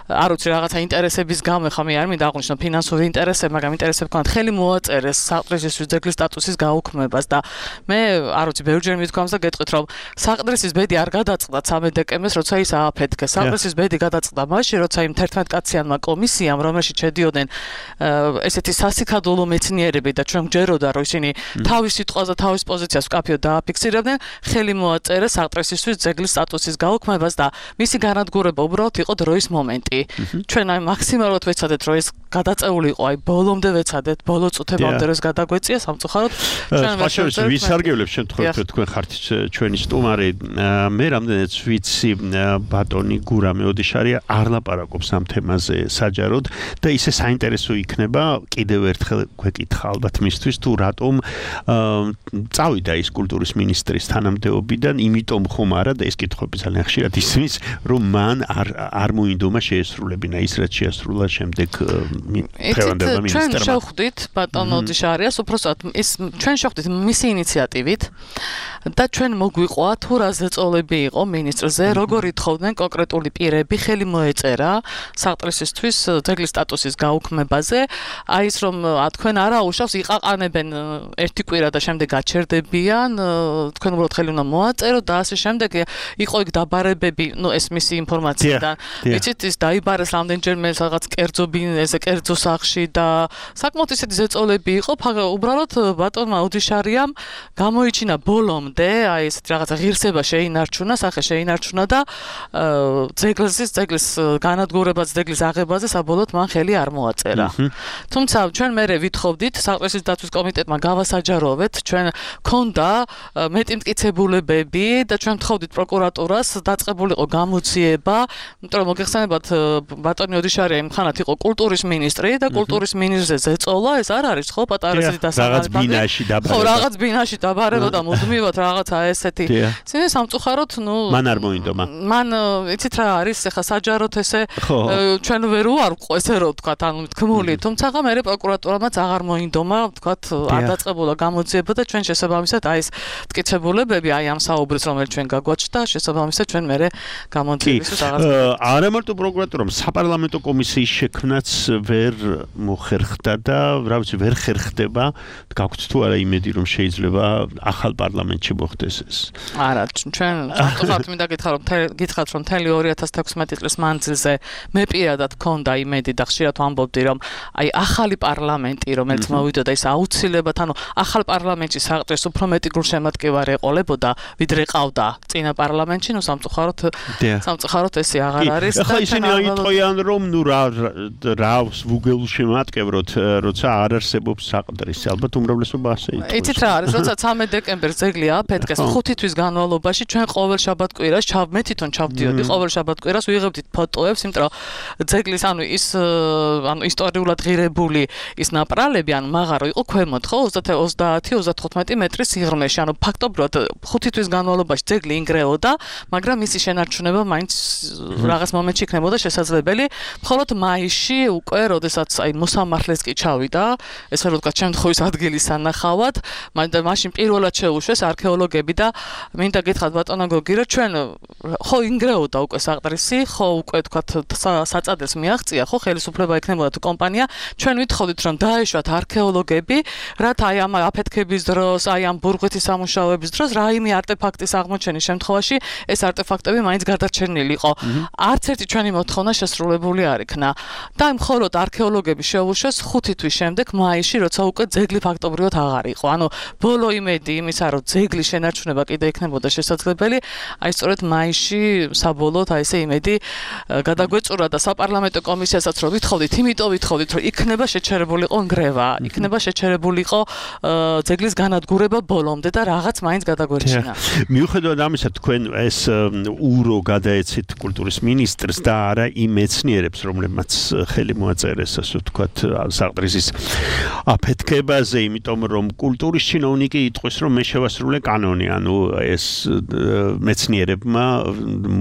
არ ვიცი რაღაცა ინტერესების გამო ხა მე არ მინდა აღვნიშნო ფინანსური ინტერესები მაგრამ ინტერესები ქონათ ხელი მოაწერეს საყდრისის ძეგლის სტატუსის გაუქმებას და მე არ ვიცი ბევრჯერ მithქვამს და გეტყვით რომ საყდრისის ბედი არ გადაწყდა ცამეტ დეკემბერს როცა ის მისთვის ააფეთქეს. საყდრისის ბედი გადაწყდა მაშინ, როცა იმ თერთმეტკაციანმა კომისიამ, რომელშიც შედიოდნენ ესეთი სასიქადულო მეცნიერები და ჩვენ გჯეროდა, რომ ისინი თავის სიტყვაზე, თავის პოზიციას ვკაფიოდ დააფიქსირებდნენ, ხელი მოაწერა საყდრისისთვის ძეგლის სტატუსის გაუქმებას და მისი განადგურება უბრალოდ იყო დროის მომენტი. ჩვენ აი მაქსიმალურად ვეცადეთ, რომ ეს გადაწეული იყო, აი ბოლომდე ვეცადეთ, ბოლო წუთებამდე რომ გადაგვეწია სამწუხაროდ ჩვენ ვაშევს ვისარგებლებ შემთხვევით რომ თქვენ ხართ ჩვენი სტუმარი მე რამდენიც ვიცი ბატონი გურამე ოდიშარია არ ლაპარაკობს ამ თემაზე საჯაროდ და ისე საინტერესო იქნება კიდევ ერთხელ გვეკითხა ალბათ მისთვის თუ რატომ წავიდა ის კულტურის მინისტრის თანამდებობიდან იმიტომ ხომ არა და ეს კითხვები ძალიან ხშირად ისმის რომ მან არ არ მოინდომა შეესრულებინა ის რაც შეასრულა შემდეგ ჩვენ შევხვდით ბატონ ოდიშარიას უпростоად ის ჩვენ შევხვდით მისი ინიციატივით და ჩვენ მოგვიყვა თუ რა ზეწოლები იყო მინისტრზე როგორ ითხოვდნენ კონკრეტული პირები ხელი მოეწერა საყდრისისთვის ძეგლის სტატუსის გაუქმებაზე აი ის რომ თქვენ არა უშავს იყაყანებენ ერთი კვირა და შემდეგ გაჩერდებიან თქვენ უბრალოდ ხელი უნდა მოაწერო და ასე შემდეგ იყო იქ დაბარებები ნუ ეს მისი ინფორმაციიდან იცით ის დაიბარეს რამდენჯერმე რაღაც კერძო ბინეზე კერძო სახში და საკმაოდ ისეთი ზეწოლები იყო უბრალოდ ბატონმა ოდიშარიამ გამოიჩინა ბოლომდე აი ესეთ რაღაცა ღირსება შეინარჩუნა სახე შეინარჩუნა და ძეგლის ძეგლის განადგურებაზე ძეგლის აღებაზე საბოლოოდ მან ხელი არ მოაწერა თუმცა ჩვენ მერე ვითხოვდით საყდრისის დაცვის კომიტეტმა გავასაჯაროვეთ ჩვენ ქონდა მეტი მტკიცებულებები და ჩვენ ვთხოვდით პროკურატურას დაწყებულიყო გამოძიება იმიტომ რომ მოგეხსენებათ ბატონი ოდიშარია იმ ხანად იყო კულტურის მინისტრი და კულტურის მინისტრზე ზეწოლა ეს არ არის ხო პატარასის დასახელება რაღაც ბინაში დაბარება ხო რაღაც ბინაში დაბარება და მუდმივად რაღაცა ესეთი ცინე სამწუხაროდ ნუ მან არ მოინდომა მან იცით რა არის ახლა საჯაროდ ესე ჩვენ ვერ უარყო ესე რომ ვთქვა ანუ თქმული თუმცა მე პროკურატურამაც აღარ მოინდომა ვთქვა არ დაწყებულა გამოძიება და ჩვენ შესაბამისად აი ეს მტკიცებულებები აი ამ საუბრის რომელიც ჩვენ გაგვაჩნდა შესაბამისად ჩვენ მე გამოძიებისთვის აღარ არა მარტო პროკურატურამ საპარლამენტო კომისიის შექმნაც ვერ მოხერხდა და რა ვიცი ვერ ხერხდება გაგვთ თუ არა იმედი რომ შეიძლება ახალ პარლამენტში მოხდეს ეს არა ჩვენ სამწუხაროდ მინდა გითხრა რომ გითხრათ რომ თელი ორი ათას თექვსმეტი წლის მანძილზე მე პირადად მქონდა იმედი და ხშირად ვამბობდი რომ აი ახალი პარლამენტი რომელიც მოვიდოდა ის აუცილებლად ანუ ახალ პარლამენტში საყდრის უფრო მეტი გულშემატკივარი ეყოლებოდა ვიდრე ყავდა წინა პარლამენტში ნუ სამწუხაროდ სამწუხაროდ ესე აღარ არის და ახლა ისინი იტყვიან რომ ნუ რა რა ვუგულშემატკივროთ როცა არ არსებობს საყდრის ალბათ უმრავლესობა ასე იტყვის იცით რა არის როცა ცამეტ დეკემბერს ძეგლი ააფეთქეს ხუთი თვის განმავლობაში ჩვენ ყოველ შაბათ-კვირას ჩავ მე თვითონ ჩავდიოდი ყოველ შაბათ-კვირას ვიღებდით ფოტოებს იმიტომ რომ ძეგლის ანუ ის ანუ ისტორიულად ღირებული ის ნაპრალები ანუ მაღარო იყო ქვემოთ ხო ოცდაათი ოცდათხუთმეტი მეტრის სიღრმეში ანუ ფაქტობრივად ხუთი თვის განმავლობაში ძეგლი ინგრეოდა მაგრამ მისი შენარჩუნება მაინც რაღაც მომენტში იქნებოდა შესაძლებელი მხოლოდ მაისში უკვე როდესაც აი მოსამართლეს კი ჩავიდა ესე რომ ვთქვათ შემთხვევის ადგილის სანახავად მაშინ პირველად შეუშვეს არქეოლოგები და მინდა გითხრათ ბატონო გოგი რომ ჩვენ ხო ინგრეოდა უკვე საყდრისი ხო უკვე ვთქვათ საწადელს მიაღწია ხო ხელისუფლება იქნებოდა თუ კომპანია ჩვენ ვითხოვდით რომ დაეშვათ არქეოლოგები რათა აი ამ აფეთქების დროს აი ამ ბურღვეთის სამუშაოების დროს რაიმე არტეფაქტის აღმოჩენის შემთხვევაში ეს არტეფაქტები მაინც გადარჩენილიყო არც ერთი ჩვენი მოთხოვნა შესრულებული არ იქნა და მხოლოდ არქეოლოგები შეუშვეს ხუთი თვის შემდეგ მაისში როცა უკვე ძეგლი ფაქტობრივად აღარ იყო ანუ ბოლო იმედი იმისა რომ ძეგლის შენარჩუნება კიდე იქნებოდა შესაძლებელი აი სწორედ მაისში საბოლოოდ აი ესე იმედი გადაგვეწურა და საპარლამენტო კომისიასაც რომ ვითხოვდით იმიტომ ვითხოვდით რომ იქნება შეჩერებულიყო ნგრევა იქნება შეჩერებულიყო ძეგლის განადგურება ბოლომდე და რაღაც მაინც გადაგვერჩინა მიუხედავად ამისა თქვენ ეს ურო გადაეცით კულტურის მინისტრს და არა იმ მეცნიერებს რომლებმაც ხელი მოაწერეს ასე ვთქვათ საყდრისის აფეთქებაზე იმიტომ რომ კულტურის ჩინოვნიკი იტყვის რომ მე შევასრულე კანონი ანუ ეს მეცნიერებმა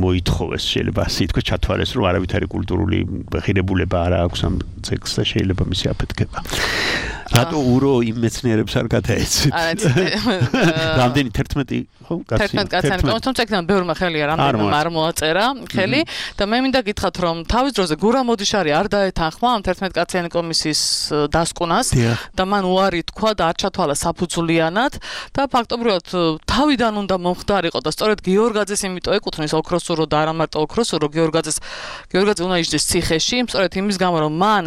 მოითხოვეს შეიძლება ასე ითქვას ჩათვალეს რომ არავითარი კულტურული ღირებულება არ აქვს ამ ძეგლს და შეიძლება მისი აფეთქება რატო ურო იმ მეცნიერებს არ გადაეცით? რამდენი თერთმეტი ხო? თერთმეტი კაციანი კომისია, თუმცა იქიდან ბევრმა ხელია რამდენიმე არ მოაწერა ხელი და მე მინდა გითხრათ რომ თავის დროზე გურამ მოდიშარი არ დაეთანხმა ამ თერთმეტი კაციანი კომისიის დასკვნას და მან უარი თქვა და არ ჩათვალა საფუძვლიანად და ფაქტობრივად თავიდან უნდა მომხდარიყო და სწორედ გიორგაძეს იმიტომ ეკუთვნის ოქროსურო და არა მარტო ოქროსურო გიორგაძეს გიორგაძე უნდა იჯდეს ციხეში სწორედ იმის გამო რომ მან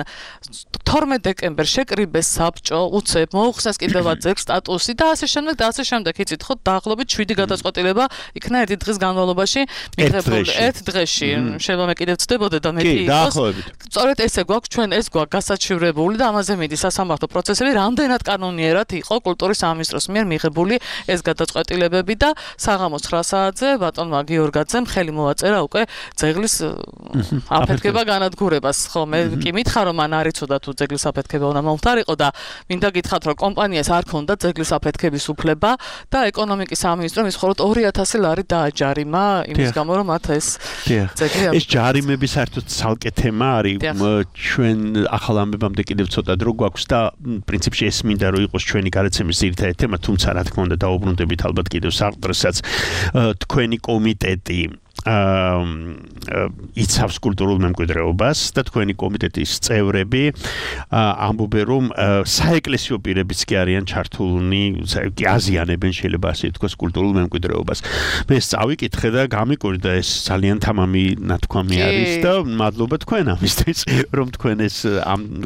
თორმეტ დეკემბერს შეკრიბეს საბჭო უცებ მოუხსნეს კიდევაც ძეგლს სტატუსი და ასე შემდეგ და ასე შემდეგ იცით ხო დაახლოებით შვიდი გადაწყვეტილება იქნა ერთი დღის განმავლობაში მიღებული ერთ დღეში შეიძლება მე კიდევ ვწდებოდე და მეტი იყოს სწორედ ესე გვაქვს ჩვენ ეს გვაქვს გასაჩივრებული და ამაზე მიდი სასამართლო პროცესები რამდენად კანონიერად იყო კულტურის სამინისტროს მიერ მიღებული ეს გადაწყვეტილებები და საღამოს ცხრა საათზე ბატონმა გიორგაძემ ხელი მოაწერა უკვე ძეგლის აფეთქება განადგურებას ხო მე კი მითხარ რომ მან არ იცოდა თუ ძეგლის აფეთქება უნდა მომხდარიყო და მინდა გითხრათ რომ კომპანიას არ ქონდა ძეგლის აფეთქების უფლება და ეკონომიკის სამინისტრომ ის მხოლოდ ორი ათასი ლარი დააჯარიმა იმის გამო რომ მათ ეს ძეგლი ეს ჯარიმები საერთოდ ცალკე თემა არის ჩვენ ახალ ამბებამდე კიდევ ცოტა დრო გვაქვს და პრინციპში ეს მინდა რომ იყოს ჩვენი გადაცემის ძირითადი თემა თუმცა რა თქმა უნდა დაუბრუნდებით ალბათ კიდევ საყდროსაც თქვენი კომიტეტი იცავს კულტურულ მემკვიდრეობას და თქვენი კომიტეტის წევრები ამბობენ რომ საეკლესიო პირებიც კი არიან ჩართულნი კი აზიანებენ შეიძლება ასე ითქვას კულტურულ მემკვიდრეობას მე წავიკითხე და გამიკვირდა ეს ძალიან თამამი ნათქვამი არის და მადლობა თქვენ ამისთვის რომ თქვენ ეს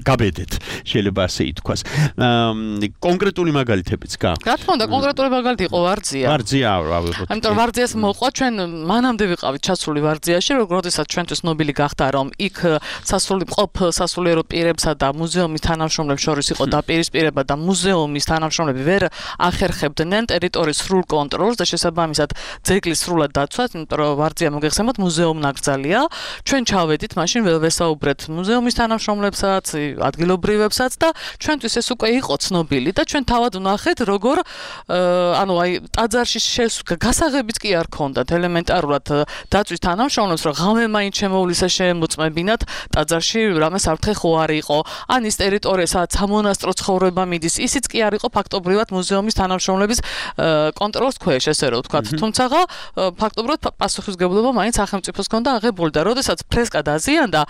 გაბედეთ შეიძლება ასე ითქვას კონკრეტული მაგალითებიც გაქვთ რა თქმა უნდა კონკრეტული მაგალითი იყო ვარძია ვარძია ავიღოთ ამიტომ ვარძიას მოყვა ჩვენ მანამდე ვიყავით ჩასული ვარძიაში, როდესაც ჩვენთვის ნობილი გახდა, რომ იქ სასული მყოფ სასულიერო პირებსა და მუზეუმის თანამშრომლებს შორის იყო დაპირისპირება და მუზეუმის თანამშრომლები ვერ ახერხებდნენ ტერიტორიის სრულ კონტროლს და შესაბამისად ძეგლის სრულად დაცვას, იმიტომ რომ ვარძია მოგეხსენებათ მუზეუმ ნაკრძალია. ჩვენ ჩავედით, მაშინ ვესაუბრეთ მუზეუმის თანამშრომლებსაც, ადგილობრივებსაც და ჩვენთვის ეს უკვე იყო ცნობილი და ჩვენ თავად ვნახეთ, როგორ ანუ აი ტაძარში გასაღებიც კი არ ქონდათ ელემენტარულად დაცვის თანამშრომლებს რომ ღამე მაინც შემოვლისა შემოწმებინათ ტაძარში რამე საფრთხე ხო არ იყო ან ის ტერიტორია სადაც სამონასტრო ცხოვრება მიდის ისიც კი არ იყო ფაქტობრივად მუზეუმის თანამშრომლების კონტროლის ქვეშ ესე რომ ვთქვათ თუმცა ფაქტობრივად პასუხისმგებლობა მაინც სახელმწიფოს ჰქონდა აღებული და როდესაც ფრესკა დაზიანდა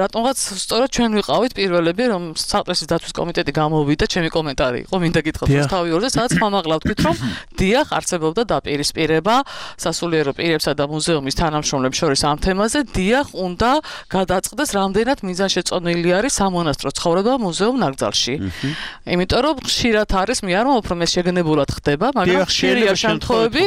რატომღაც სწორედ ჩვენ ვიყავით პირველები რომ საყდრესის დაცვის კომიტეტი გამოვიდა ჩემი კომენტარი იყო მინდა გითხრათ თავი ორზე სადაც ხმამაღლა ვთქვით რომ დიახ არსებობდა დაპირისპირება სასულიერო პირებსა და მუზეუმის თანამშრომლებს შორის ამ თემაზე დიახ უნდა გადაწყდეს რამდენად მიზანშეწონილი არის სამონასტრო ცხოვრება მუზეუმ ნაკრძალში. იმიტომ რომ ხშირად არის მე არ მომფრომ ეს შეგნებულად ხდება, მაგრამ ხშირია შემთხვევები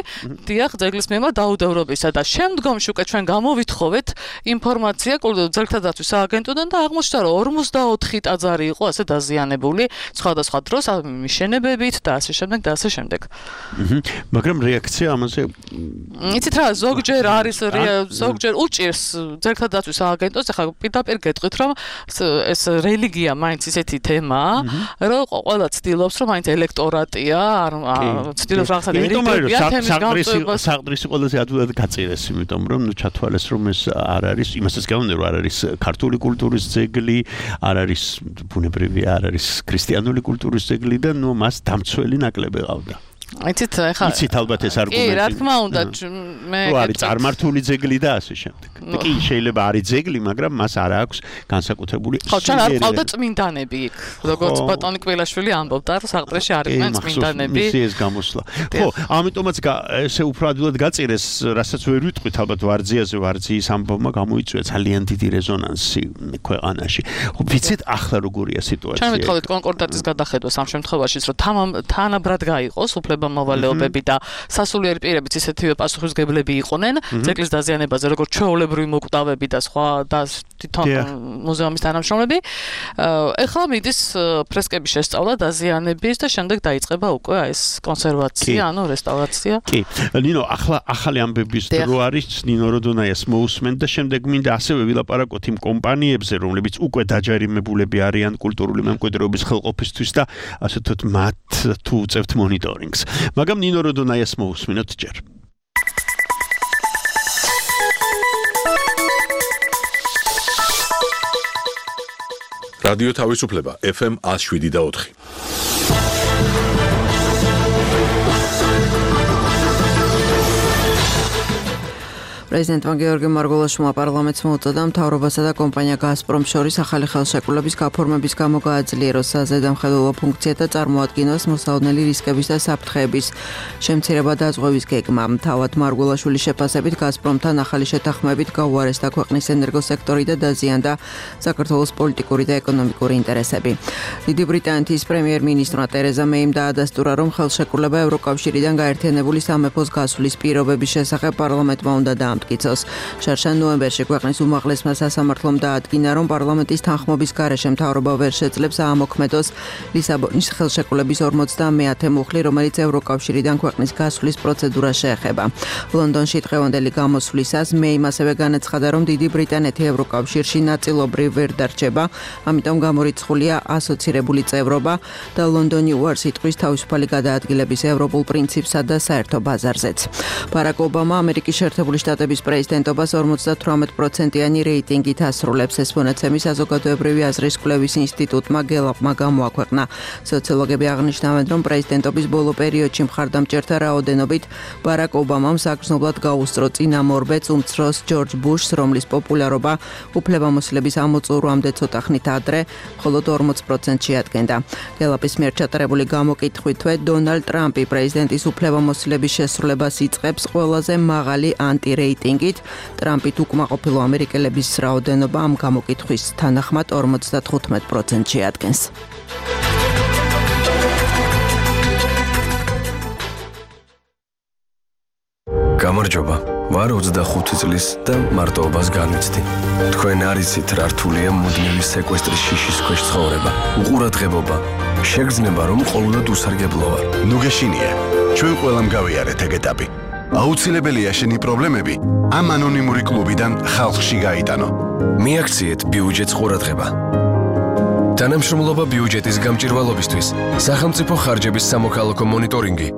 დიახ ძეგლის მიმართ დაუდევრობისა და შემდგომში უკვე ჩვენ გამოვითხოვეთ ინფორმაცია ძეგლთა დაცვის სააგენტოდან და აღმოჩნდა რომ ორმოცდაოთხი ტაძარი იყო ასე დაზიანებული სხვადასხვა დროს მიშენებებით და ასე შემდეგ და ასე შემდეგ. მაგრამ რეაქცია ამაზე იცით რა ზოგჯერ არის ზოგჯერ უჭირს ძეგლთა დაცვის სააგენტოს ახლა პირდაპირ გეტყვით რომ ეს რელიგია მაინც ისეთი თემაა რომ ყველა ცდილობს რომ მაინც ელექტორატია არ ცდილობს რაღაცა ერიგებია თემის გამწვევას საყდრისი ყველაზე ადვილად გაწირეს იმიტომ რომ ნუ ჩათვალეს რომ ეს არ არის იმასაც გავუნდა რომ არ არის ქართული კულტურის ძეგლი არ არის ბუნებრივი არ არის ქრისტიანული კულტურის ძეგლი და ნუ მას დამცველი ნაკლები ყავდა იცით ახლა იცით ალბათ ეს არგუმენტი კი რა თქმა უნდა მე რო არის წარმართული ძეგლი და ასე შემდეგ კი შეიძლება არის ძეგლი მაგრამ მას არ აქვს განსაკუთრებული ხო ჩვენ არ ყავდა წმინდანები იქ როგორც ბატონი კველაშვილი ამბობდა რომ საყდრეში არიან წმინდანები ის ეს გამოსვლა ხო ამიტომაც ესე უფრო ადვილად გაწირეს რასაც ვერ ვიტყვით ალბათ ვარძიაზე ვარძიის ამბავმა გამოიწვია ძალიან დიდი რეზონანსი ქვეყანაში ხო ვიცით ახლა როგორია სიტუაცია ჩვენ ვიტყოდით კონკორდატის გადახედვას ამ შემთხვევაშიც რომ თანაბრად გაიყოს უფლება მოვალეობები და სასულიერო პირებიც ისეთივე პასუხისმგებლები იყვნენ ძეგლის დაზიანებაზე როგორც ჩვეულებრივი მოკვდავები და სხვა და თვითონ მუზეუმის თანამშრომლები ეხლა მიდის ფრესკების შესწავლა დაზიანების და შემდეგ დაიწყება უკვე ეს კონსერვაცია ანუ რესტავრაცია კი ნინო ახლა ახალი ამბების დრო არის ნინო როდონაიას მოусმენ და შემდეგ მინდა ასევე ვილაპარაკოთ იმ კომპანიებზე რომლებიც უკვე დაჯარიმებულები არიან კულტურული მემკვიდრეობის ხელყოფისთვის და ასე ვთქვათ მათ თუ უწევთ მონიტორინგს მაგრამ ნინო როდონაიას მოусმინოთ ჯერ რადიო თავისუფლება ეფ ემ one oh seven და four. პრეზიდენტმა გეორგი მარგველაშვილმა პარლამენტს მოუწოდა მთავრობასა და კომპანია გაზპრომს შორის ახალი ხელშეკრულების გაფორმების გამო გააძლიეროს საზედამხედველო ფუნქცია და წარმოადგინოს მოსაოდნელი რისკების და საფრთხეების შემცირება და დაზღვევის გეგმა. თავად მარგველაშვილის შეფასებით გაზპრომთან ახალი შეთანხმებით გაუარესდა ქვეყნის ენერგოსექტორი და დაზიანდა საქართველოს პოლიტიკური და ეკონომიკური ინტერესები. დიდი ბრიტანეთის პრემიერ-მინისტრმა ტერეზა მეიმ დაადასტურა, რომ ხელშეკრულება ევროკავშირიდან გაერთიანებული სამეფოს გასვლის პირობების შესახებ პარლამენტმა უნდა დაამტკიცოს. შარშან ნოემბერში ქვეყნის უმაღლესმა სასამართლომ დაადგინა, რომ პარლამენტის თანხმობის გარეშე მთავრობა ვერ შეძლებს აამოქმედოს ლისაბონის ხელშეკრულების ორმოცდამეათე მუხლი, რომელიც ევროკავშირიდან ქვეყნის გასვლის პროცედურას შეეხება. ლონდონში დღევანდელი გამოსვლისას მეიმ ასევე განაცხადა, რომ დიდი ბრიტანეთი ევროკავშირში ნაწილობრივ ვერ დარჩება, ამიტომ გამორიცხულია ასოცირებული წევრობა და ლონდონი უარს იტყვის თავისუფალი გადაადგილების ევროპულ პრინციპსა და საერთო ბაზარზეც. ბარაკ ობამა ამერიკის შეერთებული შტატების პრეზიდენტობას ორმოცდათვრამეტ პროცენტიანი რეიტინგით ასრულებს. ეს მონაცემი საზოგადოებრივი აზრის კვლევის ინსტიტუტმა გელაპმა გამოაქვეყნა. სოციოლოგები აღნიშნავენ, რომ პრეზიდენტობის ბოლო პერიოდში მხარდამჭერთა რაოდენობით ბარაკ ობამამ საგრძნობლად გაუსწრო წინამორბედს უმცროს ჯორჯ ბუშს, რომლის პოპულარობა უფლებამოსილების ამოწურვამდე ცოტა ხნით ადრე მხოლოდ ორმოც პროცენტს შეადგენდა. გელაპის მიერ ჩატარებული გამოკითხვით, დონალდ ტრამპი პრეზიდენტის უფლებამოსილების შესრულებას იწყებს ყველაზე მაღალი ანტირეიტინგით. ტრამპით უკმაყოფილო ამერიკელების რაოდენობა ამ გამოკითხვის თანახმად ორმოცდათხუთმეტ პროცენტს შეადგენს. გამარჯობა. ვარ ოცდახუთი წლის და მარტოობას განვიცდი. თქვენ არ იცით რა რთულია მუდმივი სეკვესტრის შიშის ქვეშ ცხოვრება. უყურადღებობა. შეგრძნება, რომ ყოველდღე უსარგებლო ვარ. ნუ გეშინია. ჩვენ ყველამ გავიარეთ ეგ ეტაპი. აუცილებელია შენი პრობლემები ამ ანონიმური კლუბიდან ხალხში გაიტანო. მიაქციეთ ბიუჯეტს ყურადღება. თანამშრომლობა ბიუჯეტის გამჭირვალობისთვის, სახელმწიფო ხარჯების სამოქალაქო მონიტორინგი.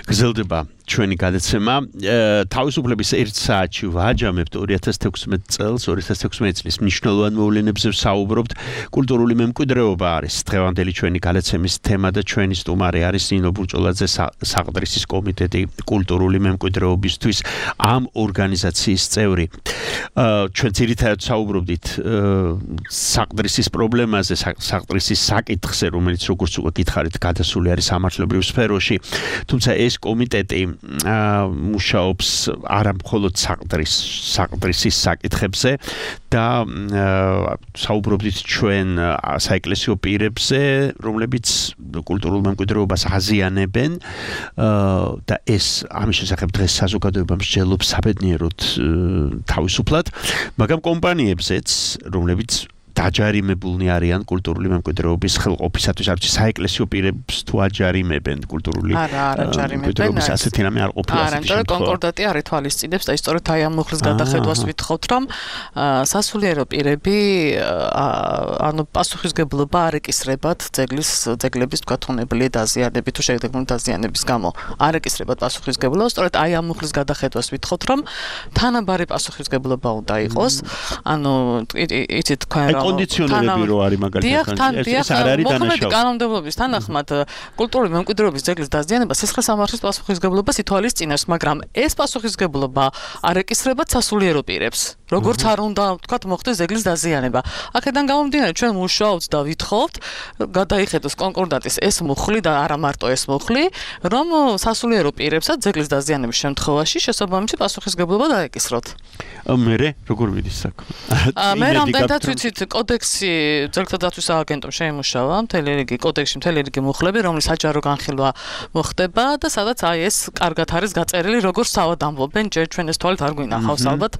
გრძელდება ჩვენი გადაცემა. თავისუფლების ერთ საათში ვაჯამებთ ორი ათას თექვსმეტ წელს, ორი ათას თექვსმეტ წლის მნიშვნელოვან მოვლენებზე ვსაუბრობთ. კულტურული მემკვიდრეობა არის დღევანდელი ჩვენი გადაცემის თემა და ჩვენი სტუმარი არის ნინო ბურჭულაძე, საყდრისის კომიტეტი კულტურული მემკვიდრეობისთვის ამ ორგანიზაციის წევრი. ჩვენ ძირითადად ვსაუბრობდით საყდრისის პრობლემაზე, საყდრისის საკითხზე, რომელიც როგორც უკვე გითხარით, გადასული არის სამართლებრივ სფეროში. თუმცა ეს კომიტეტი მუშაობს არა მხოლოდ საყდრის საყდრისის საკითხებზე და საუბრობდით ჩვენ საეკლესიო პირებზე, რომლებიც კულტურულ მემკვიდრეობას აზიანებენ და ეს ამის შესახებ დღეს საზოგადოება მსჯელობს საბედნიეროდ თავისუფლად, მაგრამ კომპანიებზეც, რომლებიც დაჯარიმებულნი არიან კულტურული მემკვიდრეობის ხელყოფისათვის, არც საეკლესიო პირებს თუ აჯარიმებენ კულტურული მემკვიდრეობის ასეთი რამე არ ყოფილა. არა, იმიტომ კონკორდატი არ ითვალისწინებს და ისწორედ აი ამ მუხლის გადახედვას ვითხოვთ, რომ სასულიერო პირები ანუ პასუხისგებლობა არ ეკისრებათ ძეგლის ძეგლების თქვა თუნებული დაზიანების თუ შეგდეგმული დაზიანების გამო. არ ეკისრებათ პასუხისგებლობა, სწორედ აი ამ მუხლის გადახედვას ვითხოვთ, რომ თანაბარი პასუხისგებლობა უნდა იყოს. ანუ იცით თქვა კონდიციონერები რო არის მაგალითად ეს არ არის დანაშაული. კანონმდებლობის თანახმად კულტურული მემკვიდრეობის ძეგლის დაზიანება სისხლის სამართლის პასუხისგებლობას ითვალისწინებს, მაგრამ ეს პასუხისგებლობა არ ეკისრება სასულიერო პირებს. როგორც არ უნდა ვთქვათ მოხდეს ძეგლის დაზიანება. აქედან გამომდინარე ჩვენ მუშაობთ და ვითხოვთ გადაიხედოს კონკორდატის ეს მუხლი და არა მარტო ეს მუხლი, რომ სასულიერო პირებსაც ძეგლის დაზიანების შემთხვევაში შესაბამისი პასუხისგებლობა დაეკისროთ. მერე როგორ მიდის საქმე? მე რამდენადაც ვიცით კოდექსი ძეგლთა დაცვის სააგენტომ შეიმუშავა მთელი რიგი კოდექსში მთელი რიგი მუხლები, რომლის საჯარო განხილვა მოხდება და სადაც აი ეს კარგად არის გაწერილი, როგორც თავად ამბობენ, ჯერ ჩვენ ეს თვალით არ გვინახავს ალბათ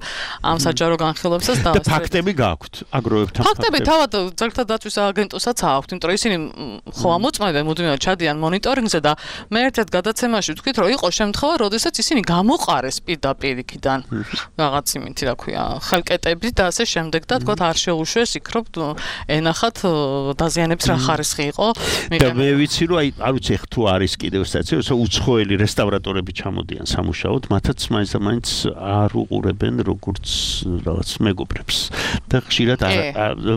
ამ საჯარო განხილვებსაც და ფაქტები გაქვთ აგროვებთან ფაქტები თავად ძეგლთა დაცვის სააგენტოსაც აქვთ, იმიტომ რომ ისინი ხო ამოწმებენ მუდმივად ჩადიან მონიტორინგზე და მე ერთ-ერთ გადაცემაში ვთქვით, რომ იყო შემთხვევა, როდესაც ისინი გამოყარეს პირდაპირ იქიდან რაღაც იმით ინსტრუმენტი, რა ქვია, ხელკეტები და ასე შემდეგ და თქვა არ შეუშვეს იქ რომ ენახათ დაზიანების რა ხარისხი იყო. და მე ვიცი რომ აი არ ვიცი ხ თუ არის კიდევ სტაცია, უცხოელი რესტავრატორები ჩამოდიან სამუშაოდ, მათაც მაინც და მაინც არ უყურებენ როგორც რაღაც მეგობრებს და ხშირად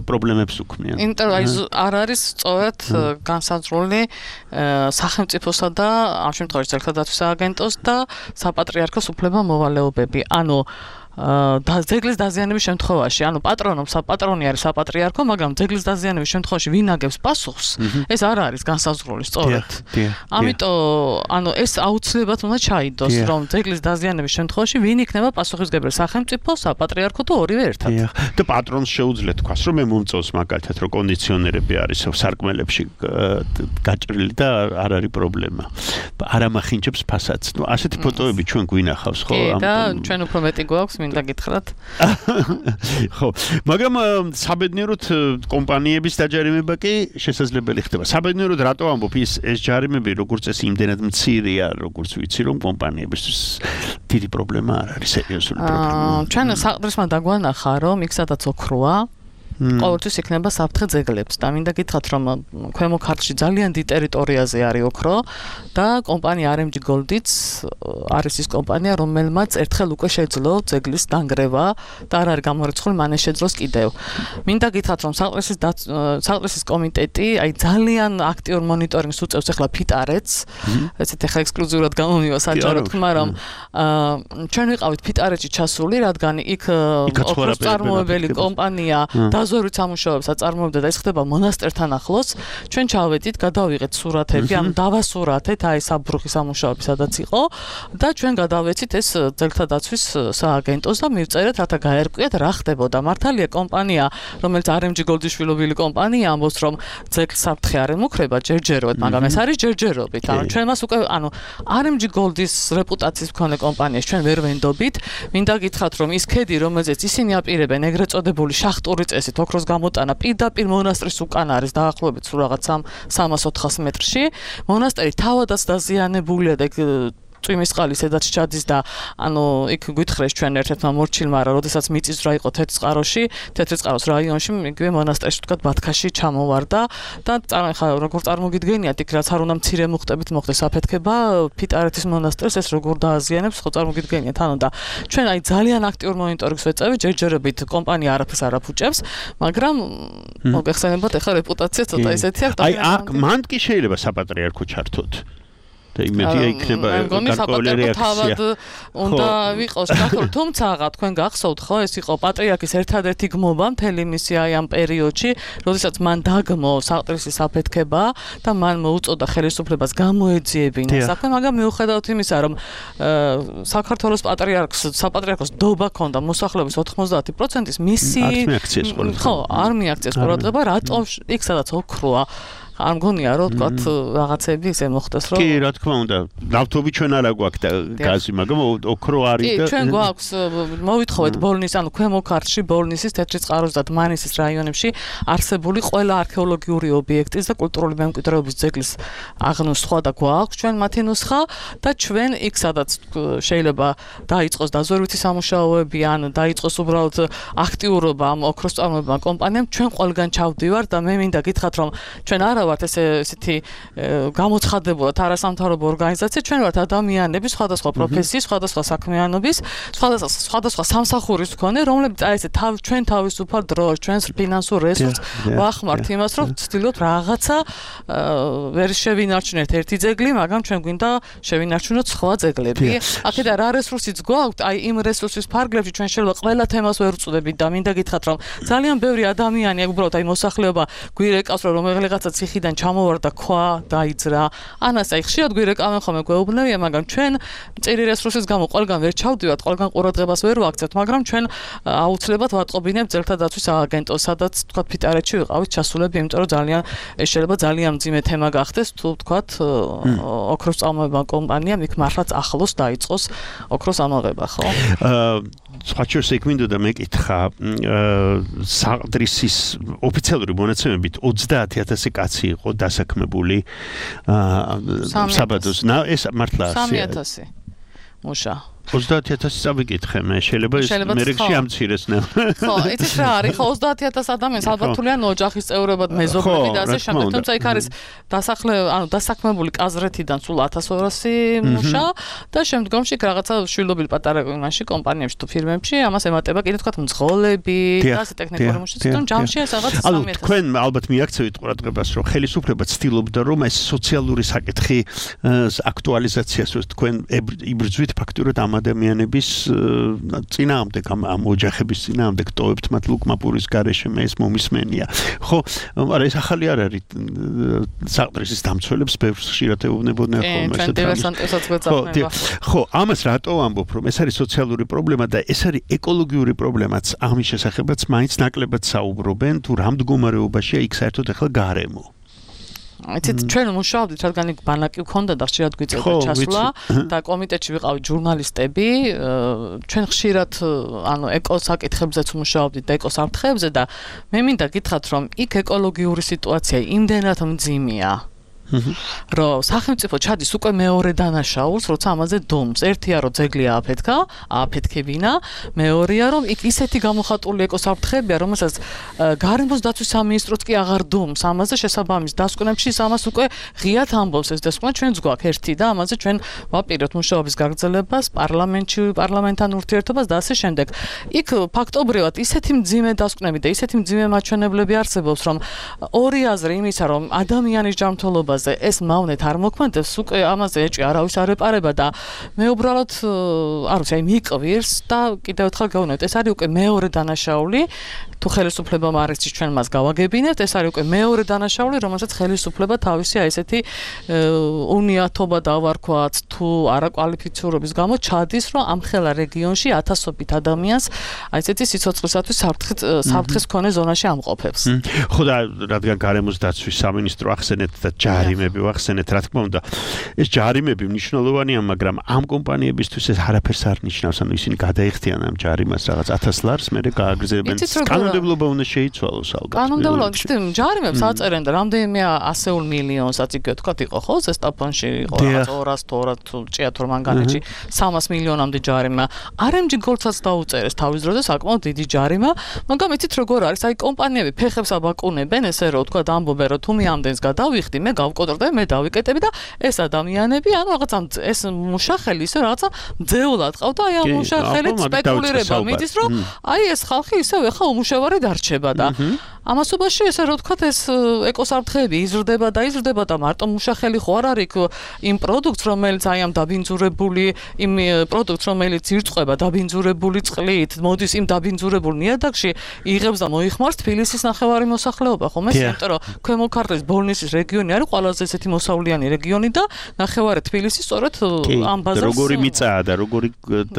პრობლემებს უქმნიან. იმიტომ აი არ არის სწორად განსაზღვრული სახელმწიფოსა და ამ შემთხვევაში ძეგლთა დაცვის სააგენტოს და საპატრიარქოს უფლება-მოვალეობები. ანუ და ძეგლის დაზიანების შემთხვევაში, ანუ პატრონობს საპატრონი არის საპატრიარქო, მაგრამ ძეგლის დაზიანების შემთხვევაში ვინ აგებს პასუხს, ეს არ არის განსაზღვრული სწორად. ამიტომ, ანუ ეს აუცილებლად უნდა ჩაიდოს, რომ ძეგლის დაზიანების შემთხვევაში ვინ იქნება პასუხისმგებელი, სახელმწიფო, საპატრიარქო თუ ორივე ერთად. და პატრონს შეუძლია თქვას, რომ მე მომწონს მაგალითად, რომ კონდიციონერები არის სარკმელებში გაჭრილი და არ არის პრობლემა. არ ამახინჯებს ფასადს. ნუ ასეთი ფოტოები ჩვენ გვინახავს, ხო? კი, და ჩვენ უფრო მეტი გვაქვს მინდა გითხრათ. ხო, მაგრამ საბედნიეროდ კომპანიების დაჯარიმება კი შესაძლებელი ხდება. საბედნიეროდ რატო ამბობ ის ეს ჯარიმები როგორც ეს იმდენად მცირეა, როგორც ვიცი რომ კომპანიებისთვის დიდი პრობლემა არ არის, სერიოზული პრობლემა. ჩვენ საყდრისმა დაგვანახა რომ იქ სადაც ოქროა ყოველთვის იქნება საფრთხე ძეგლებს და მინდა გითხრათ რომ ქვემო ქართლში ძალიან დიდ ტერიტორიაზე არის ოქრო და კომპანია არ ემ ჯი Gold-იც არის ის კომპანია რომელმაც ერთხელ უკვე შეძლო ძეგლის დანგრევა და არ არის გამორიცხული მანე შეძლოს კიდევ. მინდა გითხრათ რომ საყდრისის საყდრისის კომიტეტი აი ძალიან აქტიურ მონიტორინგს უწევს ახლა ფიტარეთს ესეთ ახლა ექსკლუზიურად გამომივა საჯარო თქმა რომ ჩვენ ვიყავით ფიტარეთში ჩასული რადგან იქ ოქროს წარმოებელი კომპანია ზორით სამუშაოებს აწარმოებდა და ეს ხდება მონასტერთან ახლოს. ჩვენ ჩავედით, გადავიღეთ სურათები, ანუ დავასურათეთ აი საბრუხი სამუშაოები სადაც იყო და ჩვენ გადავეცით ეს ძეგლთა დაცვის სააგენტოს და მივწერეთ, რათა გაერკვიათ რა ხდებოდა. მართალია კომპანია, რომელიც არ ემ ჯი Gold-ის შვილობილი კომპანია, ამბობს რომ ძეგლს საფრთხე არ ემუქრება ჯერჯერობით, მაგრამ ეს არის ჯერჯერობით. ანუ ჩვენ მას უკვე ანუ არ ემ ჯი Gold-ის რეპუტაციის მქონე კომპანიას ჩვენ ვერ ვენდობით. მინდა გითხრათ რომ ის ქედი, რომელზეც ისინი აპირებენ ეგრეთ წოდებული შახტური წესით ოქროს გამოტანა პირდაპირ მონასტრის უკან არის დაახლოებით სულ რაღაც სამას ოთხას მეტრში. მონასტერი თავადაც დაზიანებულია და წვიმის წყალი სადაც ჩადის და ანუ იქ გითხრეს ჩვენ ერთ-ერთმა მორჩილმა რა, როდესაც მიწისძვრა იყო თეთრწყაროში, თეთრწყაროს რაიონში, იგივე მონასტერში თქვა ბათქაში ჩამოვარდა და ხა როგორ წარმოგიდგენიათ იქ რაც არ უნდა მცირე მუხტებით მოხდეს აფეთქება ფიტარეთის მონასტერს ეს როგორ დააზიანებს, ხო წარმოგიდგენიათ ანუ და ჩვენ აი ძალიან აქტიურ მონიტორინგს ვეწევით, ჯერჯერობით კომპანია არაფერს არ აფუჭებს, მაგრამ მოგეხსენებათ ახლა რეპუტაცია ცოტა ისეთი აქვს. აი აქ მანდ კი შეიძლება საპატრიარქო ჩართოთ. და იმედია იქნება გარკვეული რეაქცია. უნდა ვიყოს გახსოვთ, თუმცა თქვენ გახსოვთ ხო, ეს იყო პატრიარქის ერთადერთი გმობა მთელი მისი აი ამ პერიოდში, როდესაც მან დაგმო საყდრისის აფეთქება და მან მოუწოდა ხელისუფლებას გამოეძიებინა საქმე, მაგრამ მიუხედავად იმისა, რომ საქართველოს პატრიარქს, საპატრიარქოს დობა ჰქონდა მოსახლეობის ოთხმოცდაათი პროცენტის მისი ხო, არ მიაქციეს ყურადღება, რატომ იქ სადაც ოქროა არ მგონია რომ თქვათ რაღაცები ისე მოხდეს რომ კი რა თქმა უნდა ნავთობი ჩვენ არა გვაქვს და გაზი მაგრამ ოქრო არის და კი ჩვენ გვაქვს მოვითხოვეთ ბოლნის ანუ ქვემო ქართლში ბოლნისის თეთრწყაროს და დმანისის რაიონებში არსებული ყველა არქეოლოგიური ობიექტის და კულტურული მემკვიდრეობის ძეგლის აღნუსხვა და გვაქვს ჩვენ მათი ნუსხა და ჩვენ იქ სადაც შეიძლება დაიწყოს დაზვერვითი სამუშაოები ან დაიწყოს უბრალოდ აქტიურობა ამ ოქროს წარმოებმა კომპანიამ ჩვენ ყველგან ჩავდივართ და მე მინდა გითხრათ რომ ჩვენ არა ვართ ესე ესეთი გამოცხადებულად არასამთავრობო ორგანიზაცია, ჩვენ ვართ ადამიანები სხვადასხვა პროფესიის, სხვადასხვა საქმიანობის, სხვადასხვა სხვადასხვა სამსახურის მქონე, რომლებიც აი ესე თავ ჩვენ თავისუფალ დროს, ჩვენს ფინანსურ რესურსს ვახმართ იმას, რომ ვცდილობთ რაღაცა ვერ შევინარჩუნოთ ერთი ძეგლი, მაგრამ ჩვენ გვინდა შევინარჩუნოთ სხვა ძეგლები. აქედან რა რესურსიც გვაქვს, აი იმ რესურსის ფარგლებში ჩვენ შეიძლება ყველა თემას ვერ ვწუდებით და მინდა გითხრათ, რომ ძალიან ბევრი ადამიანი უბრალოდ აი მოსახლეობა გვირეკავს, რომ რაღაცა ციხიდან ჩამოვარდა ქვა, დაიძრა. ანას აი ხშირად გვირეკავენ ხოლმე გვეუბნებიან, მაგრამ ჩვენ წერი რესურსის გამო ყველგან ვერ ჩავდივართ, ყველგან ყურადღებას ვერ ვაქცევთ, მაგრამ ჩვენ აუცილებლად ვატყობინებთ ძეგლთა დაცვის სააგენტოს, სადაც თქვა ფიტარეთში ვიყავით ჩასულები, იმიტომ რომ ძალიან ეს შეიძლება ძალიან მძიმე თემა გახდეს, თუ თქვა ოქროს წარმოება კომპანიამ იქ მართლაც ახლოს დაიწყოს ოქროს ამოღება, ხო? აა სხვაჩერს იქ მინდოდა მეკითხა საყდრისის ოფიციალური მონაცემებით ოცდაათი ათასი კაცი იყო დასაქმებული საბადოს. ეს მართლა სამი ათასი მუშა. ოცდაათი ათასი წავიკითხე მე, შეიძლება ეს მერექში ამცირეს ნელ. ხო, იცით რა არის, ხო ოცდაათი ათასი ადამიანს ალბათ თვლიან ოჯახის წევრებად, მეზობლები და ასე შემდეგ, თუმცა იქ არის დასახლე, ანუ დასაქმებული კაზრეთიდან სულ ათას ორასი მუშა და შემდგომში რაღაცა შვილობილი პატარა იმაში კომპანიებში თუ ფირმებში ამას ემატება კიდე თქვა მძღოლები და ასე ტექნიკური მუშა, თუმცა ჯამში ეს რაღაც სამი ათასი. ანუ თქვენ ალბათ მიაქცევით ყურადღებას, რომ ხელისუფლება ცდილობდა რომ ეს სოციალური საკითხი აქტუალიზაციას თქვენ იბრძვით ფაქტურად ამ ადამიანების წინააღმდეგ ამ ოჯახების წინააღმდეგ ტოვებთ მათ ლუკმაპურის გარეშე მე ეს მომისმენია. ხო, მაგრამ ეს ახალი არ არის საყდრისის დამცველებს ბევრს ხშირად ეუბნებოდნენ ხოლმე ეს თემა. ხო, ამას რატო ამბობ, რომ ეს არის სოციალური პრობლემა და ეს არის ეკოლოგიური პრობლემაც, ამის შესახებაც მაინც ნაკლებად საუბრობენ, თუ რა მდგომარეობაშია იქ საერთოდ ახლა გარემო. იცით ჩვენ მუშაობდით, რადგან იქ ბანაკი გქონდა და ხშირად გვიწევდა ჩასვლა და კომიტეტში ვიყავით ჟურნალისტები, ჩვენ ხშირად ანუ ეკოსაკითხებზეც მუშაობდით და ეკოსაფრთხეებზე და მე მინდა გითხრათ, რომ იქ ეკოლოგიური სიტუაცია იმდენად მძიმეა. რომ სახელმწიფო ჩადის უკვე მეორე დანაშაულს, როცა ამაზე დუმს. ერთია რომ ძეგლი ააფეთქა, ააფეთქებინა, მეორეა რომ იქ ისეთი გამოხატული ეკოსაფრთხეებია, რომელსაც გარემოს დაცვის სამინისტროც კი აღარ დუმს. ამაზე შესაბამის დასკვნებში ამას უკვე ღიად ამბობს ეს დასკვნა, ჩვენც გვაქვს ერთი და ამაზე ჩვენ ვაპირებთ მუშაობის გაგრძელებას, პარლამენტში, პარლამენტთან ურთიერთობას და ასე შემდეგ. იქ ფაქტობრივად ისეთი მძიმე დასკვნები და ისეთი მძიმე მაჩვენებლები არსებობს, რომ ორი აზრი იმისა, რომ ადამიანის ჯანმრთელობა ეს მავნეთ არ მოქმედებს, უკვე ამაზე ეჭვი არავის არ ეპარება და მე უბრალოდ არ ვიცი, აი მიყვირს და კიდევ ერთხელ გავუნებთ, ეს არის უკვე მეორე დანაშაული, თუ ხელისუფლებამ არ იცის ჩვენ მას გავაგებინებთ, ეს არის უკვე მეორე დანაშაული, რომელსაც ხელისუფლება თავისი აი ესეთი უნიათობა დავარქვათ, თუ არაკვალიფიცირების გამო ჩადის, რომ ამ ხელა რეგიონში ათასობით ადამიანს აი ესეთი სიცოცხლისათვის საფრთხის მქონე ზონაში ამყოფებს. ხო და რადგან გარემოს დაცვის სამინისტრო ახსენეთ და ჯარიმები ვახსენეთ, რა თქმა უნდა, ეს ჯარიმები მნიშვნელოვანია, მაგრამ ამ კომპანიებისთვის ეს არაფერს არ ნიშნავს, ანუ ისინი გადაიხდიან ამ ჯარიმას რაღაც ათას ლარს, მერე გააგრძელებენ. კანონმდებლობა უნდა შეიცვალოს ალბათ. კანონმდებლობა, ცოტა ჯარიმებს აწერენ და რამდენიმე ასეულ მილიონსაც იგივე თქვა იყო ხო, ზესტაფონში იყო რაღაც ორას თორად ჭიათურ მანგანეთში სამას მილიონამდე ჯარიმა. არ ემ ჯი გოლცაც დაუწერეს თავის დროზე საკმაოდ დიდი ჯარიმა, მაგრამ იცით როგორ არის, აი კომპანიები ფეხებს აბაკუნებენ, ესე რომ თქვა ამბობენ, რომ თუ მე ამდენს გადავიხდი, მე გავკოტრდები, მე დავიკეტები და ეს ადამიანები, ანუ რაღაცა ეს მუშახელი ისე რაღაცა ძეულად ყავდა, აი ამ მუშახელით სპეკულირება მიდის, რომ აი ეს ხალხი ისევ ახლა უმუშევარი დარჩება და ამასობაში ესე რომ თქვა ეს ეკოსაფრთხეები იზრდება და იზრდება და მარტო მუშახელი ხო არ არის იმ პროდუქტს, რომელიც აი ამ დაბინძურებული იმ პროდუქტს, რომელიც ირწყვება დაბინძურებული წყლით, მოდის იმ დაბინძურებულ ნიადაგში, იღებს და მოიხმარს თბილისის ნახევარი მოსახლეობა, ხომ ეს, იმიტომ რომ ქვემო ქართლის ბოლნისის რეგიონი არის ყველაზე ესეთი მოსავლიანი რეგიონი და ნახევარი თბილისი სწორედ ამ ბაზარს როგორი მიწაა და როგორი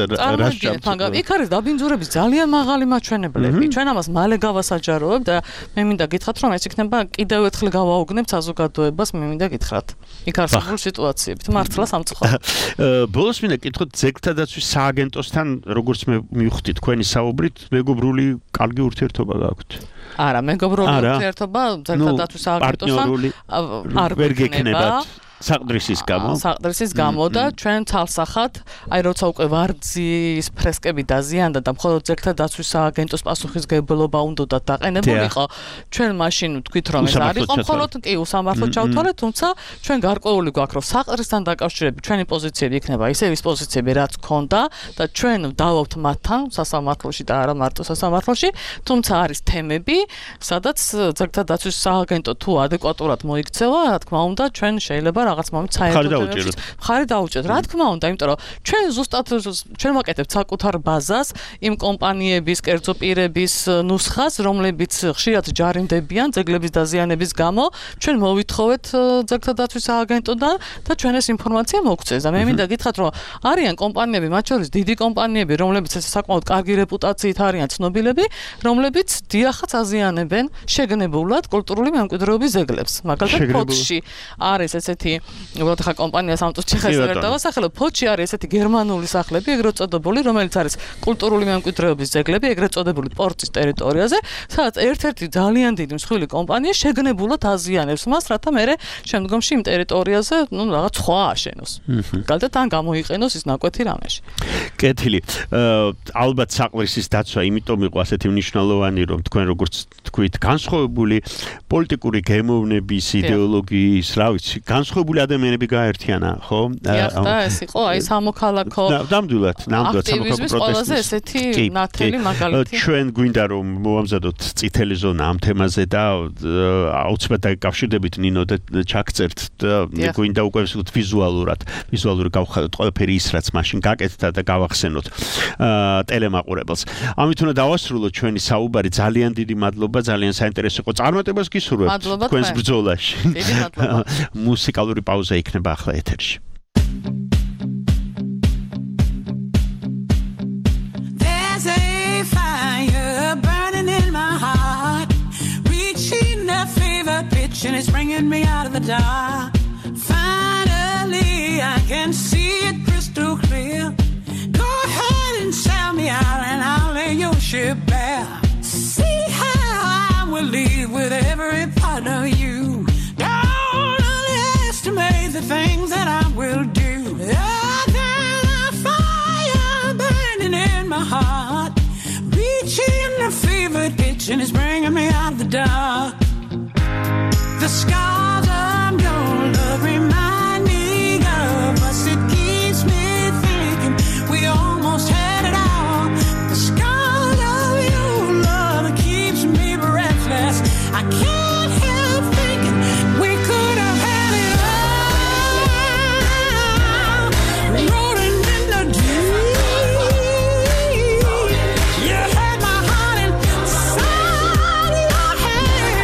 რა შაბ. იქ არის დაბინძურების ძალიან მაღალი მაჩვენებლები. ჩვენ ამას მალე გავასაჯაროებთ და მე მინდა გითხრათ, რომ ეს იქნება კიდევ ერთხელ გავაუგნებთ საზოგადოებას, მე მინდა გითხრათ. იქ არსებული სიტუაციებით მართლა სამწუხაროდ. ბოლოს მინდა გითხოთ ძეგლთა დაცვის სააგენტოსთან, როგორც მე მივხვდი თქვენი საუბრით, მეგობრული კარგი ურთიერთობა გაქვთ. არა, მეგობრული ურთიერთობა ძეგლთა დაცვის სააგენტოსთან არ ვერ გექნებათ. საყდრისის გამო. საყდრისის გამო და ჩვენ თალსახად, აი როცა უკვე ვარძის ფრესკები დაზიანდა და მხოლოდ ძეგლთა დაცვის სააგენტოს პასუხისმგებლობა უნდათ დაყენებულიყო, ჩვენ მაშინ ვთქვით რომ ეს არ იყო მხოლოდ კი უსამართლოდ ჩავთვალეთ, თუმცა ჩვენ გარკვეული გვაქვს რომ საყდრისთან დაკავშირებით ჩვენი პოზიციები იქნება ისევ ის პოზიციები რაც ქონდა და ჩვენ ვდავობთ მათთან სასამართლოში და არა მარტო სასამართლოში, თუმცა არის თემები, სადაც ძეგლთა დაცვის სააგენტო თუ ადეკვატურად მოიქცევა, რა თქმა უნდა, ჩვენ შეიძლება რაღაც მომენტ საერთოდ ხარი დაუჭერთ. რა თქმა უნდა, იმიტომ რომ ჩვენ ზუსტად ჩვენ ვაკეთებთ საკუთარ ბაზას იმ კომპანიების, კერძო პირების ნუსხას, რომლებიც ხშირად ჯარიმდებიან ძეგლების დაზიანების გამო, ჩვენ მოვითხოვეთ ძეგლთა დაცვის სააგენტოდან და ჩვენ ეს ინფორმაცია მოგცეს. და მე მინდა გითხრათ, რომ არიან კომპანიები, მათ შორის დიდი კომპანიები, რომლებიც საკმაოდ კარგი რეპუტაციით არიან ცნობილები, რომლებიც დიახაც აზიანებენ შეგნებულად კულტურული მემკვიდრეობის ძეგლებს. მაგალითად, ფოთში არის ესეთი უბრალოდ ხა კომპანია სამწუთში ხა ეს ვერ დავასახელებ. ფოთში არის ესეთი გერმანული სახლები, ეგრეთ წოდებული, რომელიც არის კულტურული მემკვიდრეობის ძეგლები, ეგრეთ წოდებული პორტის ტერიტორიაზე, სადაც ერთ-ერთი ძალიან დიდი მსხვილი კომპანია შეგნებულად აზიანებს მას, რათა მერე შემდგომში იმ ტერიტორიაზე, ну, რაღაც სხვა აშენოს. გალდათ ან გამოიყენოს ის ნაკვეთი რამეში. კეთილი. ალბათ საყვრისის დაცვა იმიტომ იყო ასეთი მნიშვნელოვანი, რომ თქვენ როგორც თქვით, განსხვავებული პოლიტიკური გემოვნების, იდეოლოგიის, რა ვიცი, განსხვავებული ადამიანები გაერთიანა, ხო? და ეს იყო აი სამოქალაქო ნამდვილად, ნამდვილად სამოქალაქო პროტესტის ესეთი ნათელი მაგალითი. ჩვენ გვინდა რომ მოვამზადოთ წითელი ზონა ამ თემაზე და აუცილებლად დაკავშირდებით ნინო და ჩაგწერთ და გვინდა უკვე ვიზუალურად, ვიზუალური გავხადოთ ყველაფერი ის რაც მაშინ გაკეთდა და გავახსენოთ ტელემაყურებელს. ამით უნდა დავასრულოთ ჩვენი საუბარი. ძალიან დიდი მადლობა, ძალიან საინტერესო იყო. წარმატებას გისურვებთ თქვენს ბრძოლაში. დიდი მადლობა. მუსიკალური პაუზა იქნება ახლა ეთერში. There's a fire burning in my heart, reaching a fever pitch and it's bringing me out of the dark. Finally I can see it crystal clear. Go ahead and sell me out and I'll lay your ship bare. See how I will leave with every part of you. Don't underestimate the things that I will do. There's a fire burning in my heart, reaching a fever pitch and it's bringing me out of the dark. The scars of your love remind me of us. It keeps me thinking we almost had it all. The scars of your love keeps me breathless. I can't help thinking we could have had it all. Rolling in the deep. You had my heart inside your hand.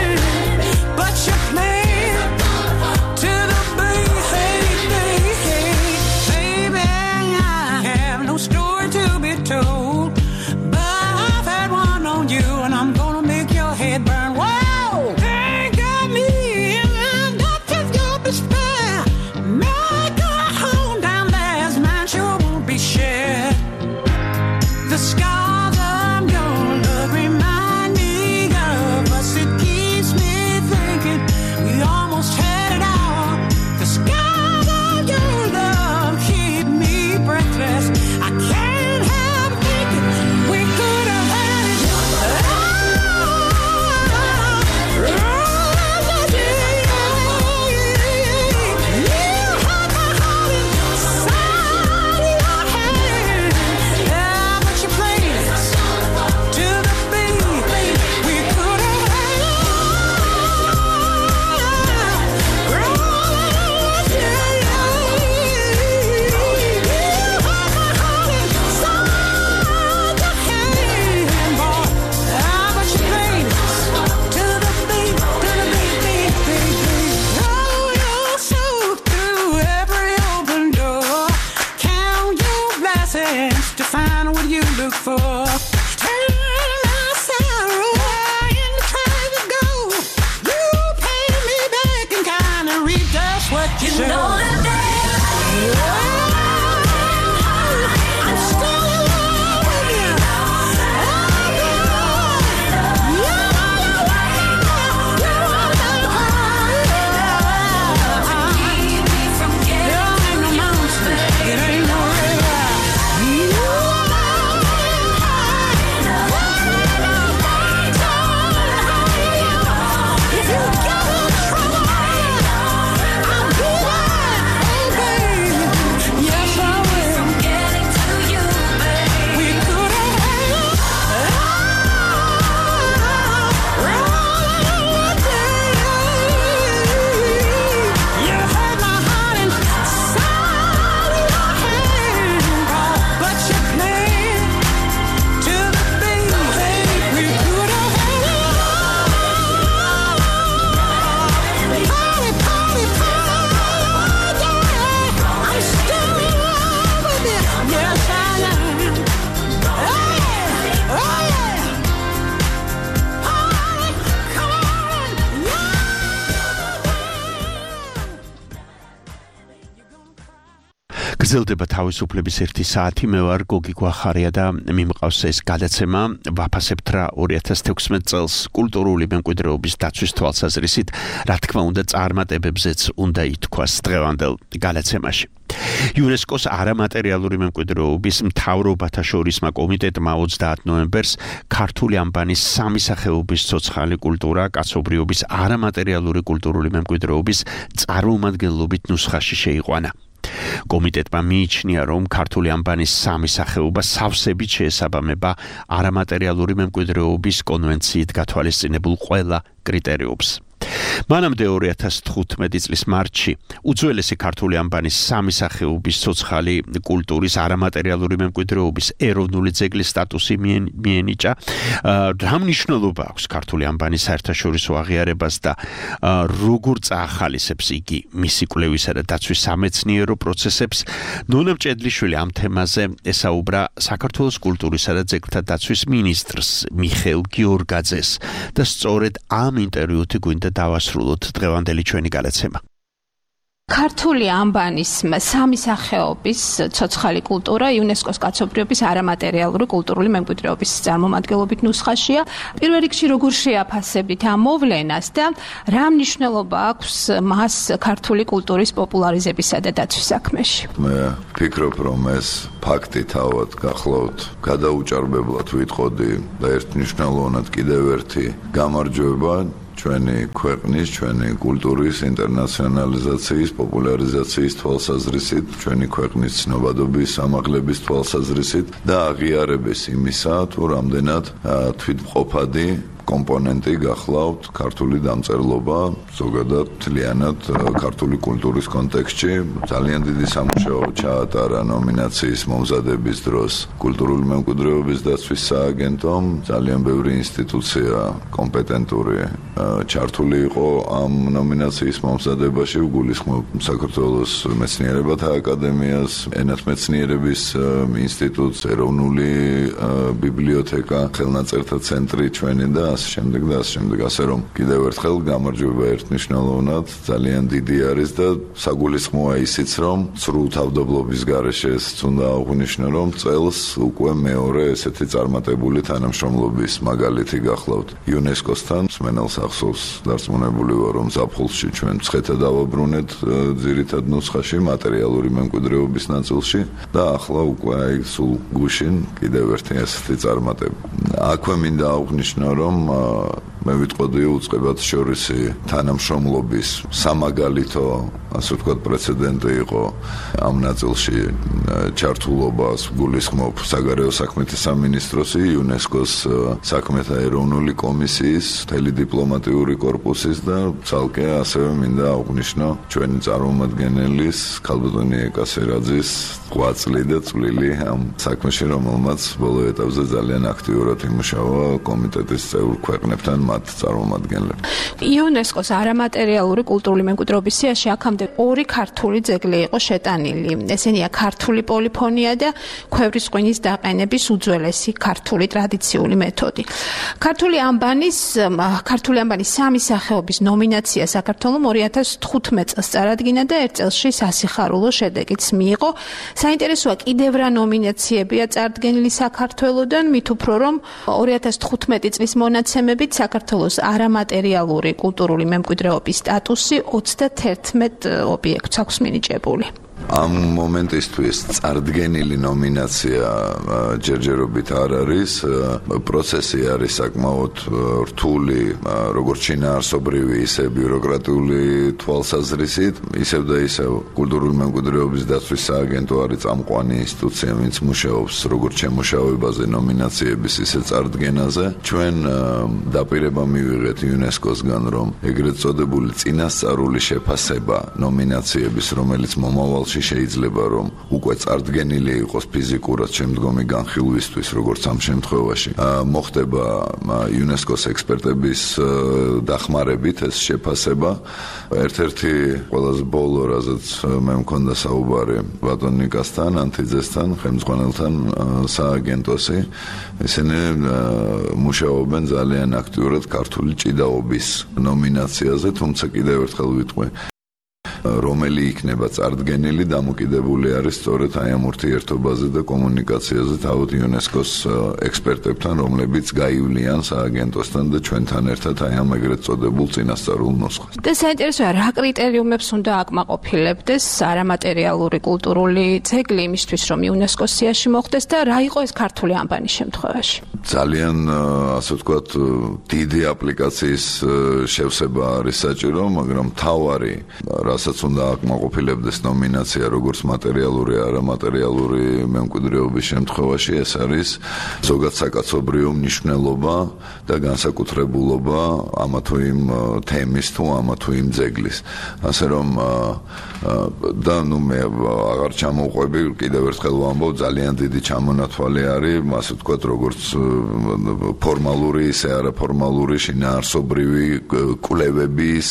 გრძელდება თავისუფლების ერთი საათი. მე ვარ გოგი გვახარია და მიმყავს ეს გადაცემა. ვაფასებთ რა ორი ათას თექვსმეტ წელს კულტურული მემკვიდრეობის დაცვის თვალსაზრისით, რა თქმა უნდა, წარმატებებზეც უნდა ითქვას დღევანდელ გადაცემაში. იუნესკოს არამატერიალური მემკვიდრეობის მთავრობათა შორისმა კომიტეტმა ოცდაათ ნოემბერს ქართული ანბანის სამი სახეობის ცოცხალი კულტურა კაცობრიობის არამატერიალური კულტურული მემკვიდრეობის წარმომადგენლობით ნუსხაში შეიყვანა. კომიტეტმა მიიჩნია, რომ ქართული ანბანის სამი სახეობა სავსებით შეესაბამება არამატერიალური მემკვიდრეობის კონვენციით გათვალისწინებულ ყველა კრიტერიუმს. მანამდე ორი ათას თხუთმეტი წლის მარტში უძველესი ქართული ანბანის სამი სახეობის ცოცხალი კულტურის არამატერიალური მემკვიდრეობის ეროვნული ძეგლის სტატუსი მიენიჭა. რა მნიშვნელობა აქვს ქართული ანბანის საერთაშორისო აღიარებას და როგორ წაახალისებს იგი მისი კვლევისა და დაცვის სამეცნიერო პროცესებს? ნონა მჭედლიშვილი ამ თემაზე ესაუბრა საქართველოს კულტურისა და ძეგლთა დაცვის მინისტრს მიხეილ გიორგაძეს და სწორედ ამ ინტერვიუთი გვინდა დავასრულოთ დღევანდელი ჩვენი გადაცემა. ქართული ანბანის სამი სახეობის ცოცხალი კულტურა იუნესკოს კაცობრიობის არამატერიალური კულტურული მემკვიდრეობის წარმომადგენლობით ნუსხაშია. პირველ რიგში როგორ შეაფასებით ამ მოვლენას და რა მნიშვნელობა აქვს მას ქართული კულტურის პოპულარიზებისა და დაცვის საქმეში? მე ვფიქრობ, რომ ეს ფაქტი თავად გახლავთ გადაუჭარბებლად ვიტყოდი და ერთმნიშვნელოვნად კიდევ ერთი გამარჯვება ჩვენი ქვეყნის, ჩვენი კულტურის ინტერნაციონალიზაციის, პოპულარიზაციის თვალსაზრისით, ჩვენი ქვეყნის ცნობადობის, ამაღლების თვალსაზრისით და აღიარების იმისა, თუ რამდენად თვითმყოფადი კომპონენტი გახლავთ ქართული დამწერლობა, ზოგადად მთლიანად ქართული კულტურის კონტექსტში. ძალიან დიდი სამუშაო ჩაატარა ნომინაციის მომზადების დროს კულტურული მემკვიდრეობის დაცვის სააგენტომ. ძალიან ბევრი ინსტიტუცია კომპეტენტური ჩართული იყო ამ ნომინაციის მომზადებაში. ვგულისხმობ საქართველოს მეცნიერებათა აკადემიას, ენათმეცნიერების ინსტიტუტს, ეროვნული ბიბლიოთეკა, ხელნაწერთა ცენტრი ჩვენი და ასე შემდეგ და ასე შემდეგ, ასე რომ კიდევ ერთხელ გამარჯვება ერთნიშნულოვნად ძალიან დიდი არის და საგულისხმოა ისიც, რომ სრულ თავდაბლობის გარეშე ესეც უნდა აღვნიშნო, რომ წელს უკვე მეორე ესეთი წარმატებული თანამშრომლობის მაგალითი გახლავთ იუნესკოსთან. მსმენელს ახსოვს დარწმუნებული ვარ, რომ ზაფხულში ჩვენ მცხეთა დავაბრუნეთ ძირითად ნუსხაში მატერიალური მემკვიდრეობის ნაწილში და ახლა უკვე აი სულ გუშინ კიდევ ერთი ესეთი წარმატება. აქვე მინდა აღვნიშნო, რომ მე ვიტყოდი უწყებად შორისი თანამშრომლობის სამაგალითო, ასე ვთქვათ, პრეცედენტი იყო ამ ნაწილში ჩართულობას გულისხმობ საგარეო საქმეთა სამინისტროსი, იუნესკოს საქმეთა ეროვნული კომისიის, მთელი დიპლომატიური კორპუსის და ცალკე ასევე მინდა აღვნიშნო ჩვენი წარმომადგენლის ქალბატონი ეკასერაძის ღვაწლი და წვლილი ამ საქმეში, რომელმაც ბოლო ეტაპზე ძალიან აქტიურად იმუშავა კომიტეტის წევრ ქვეყნებთან მათ წარმომადგენლებს. იუნესკოს არამატერიალური კულტურული მემკვიდრეობის სიაში აქამდე ორი ქართული ძეგლი იყო შეტანილი. ესენია ქართული პოლიფონია და ქვევრის ღვინის დაყენების უძველესი ქართული ტრადიციული მეთოდი. ქართული ანბანის ქართული ანბანის სამი სახეობის ნომინაცია საქართველოს ორი ათას თხუთმეტ წელს წარადგინა და ერთ წელში სასიხარულო შედეგიც მიიღო. საინტერესოა კიდევ რა ნომინაციებია წარდგენილი საქართველოსდან, მით უფრო რომ ორი ათას თხუთმეტი წლის მონაცემებით საქართველოს არამატერიალური კულტურული მემკვიდრეობის სტატუსი ოცდათერთმეტ ობიექტს აქვს მინიჭებული. ამ მომენტისთვის წარდგენილი ნომინაცია ჯერჯერობით არ არის. პროცესი არის საკმაოდ რთული, როგორც შინაარსობრივი, ისე ბიუროკრატიული თვალსაზრისით. ისევ და ისევ კულტურული მემკვიდრეობის დაცვის სააგენტო არის წამყვანი ინსტიტუცია, ვინც მუშაობს როგორც შემუშავებაზე, ნომინაციების, ისე წარდგენაზე. ჩვენ დაპირება მივიღეთ იუნესკოსგან, რომ ეგრეთ წოდებული წინასწარული შეფასება ნომინაციების, რომელიც მომავალში შეიძლება რომ უკვე წარდგენილი იყოს ფიზიკურად შემდგომი განხილვისთვის, როგორც ამ შემთხვევაში მოხდება იუნესკოს ექსპერტების დახმარებით ეს შეფასება. ერთ-ერთი ყველაზე ბოლო, რაზეც მე მქონდა საუბარი ბატონ ნიკასთან, ანთიძესთან, ხელმძღვანელთან სააგენტოსი, ისინი მუშაობენ ძალიან აქტიურად ქართული ჭიდაობის ნომინაციაზე, თუმცა კიდევ ერთხელ ვიტყვი, რომელი იქნება წარდგენილი, დამოკიდებული არის სწორედ აი ამ ურთიერთობაზე და კომუნიკაციაზე თავად იუნესკოს ექსპერტებთან, რომლებიც გაივლიან სააგენტოსთან და ჩვენთან ერთად აი ამ ეგრეთ წოდებულ წინასწარულ ნუსხას. და საინტერესოა, რა კრიტერიუმებს უნდა აკმაყოფილებდეს არამატერიალური კულტურული ძეგლი იმისთვის, რომ იუნესკოს სიაში მოხვდეს და რა იყო ეს ქართული ანბანის შემთხვევაში? ძალიან ასე ვთქვათ, დიდი აპლიკაციის შევსება არის საჭირო, მაგრამ თავარი, რასაც უნდა აკმაყოფილებდეს ნომინაცია, როგორც მატერიალური, არამატერიალური მემკვიდრეობის შემთხვევაში, ეს არის ზოგად საკაცობრიო მნიშვნელობა და განსაკუთრებულობა ამა თუ იმ თემის თუ ამა თუ იმ ძეგლის. ასე რომ და ნუ მე აღარ ჩამოვყვები, კიდევ ერთხელ ვამბობ, ძალიან დიდი ჩამონათვალი არის, ასე ვთქვათ, როგორც ფორმალური, ისე არაფორმალური შინაარსობრივი კვლევების,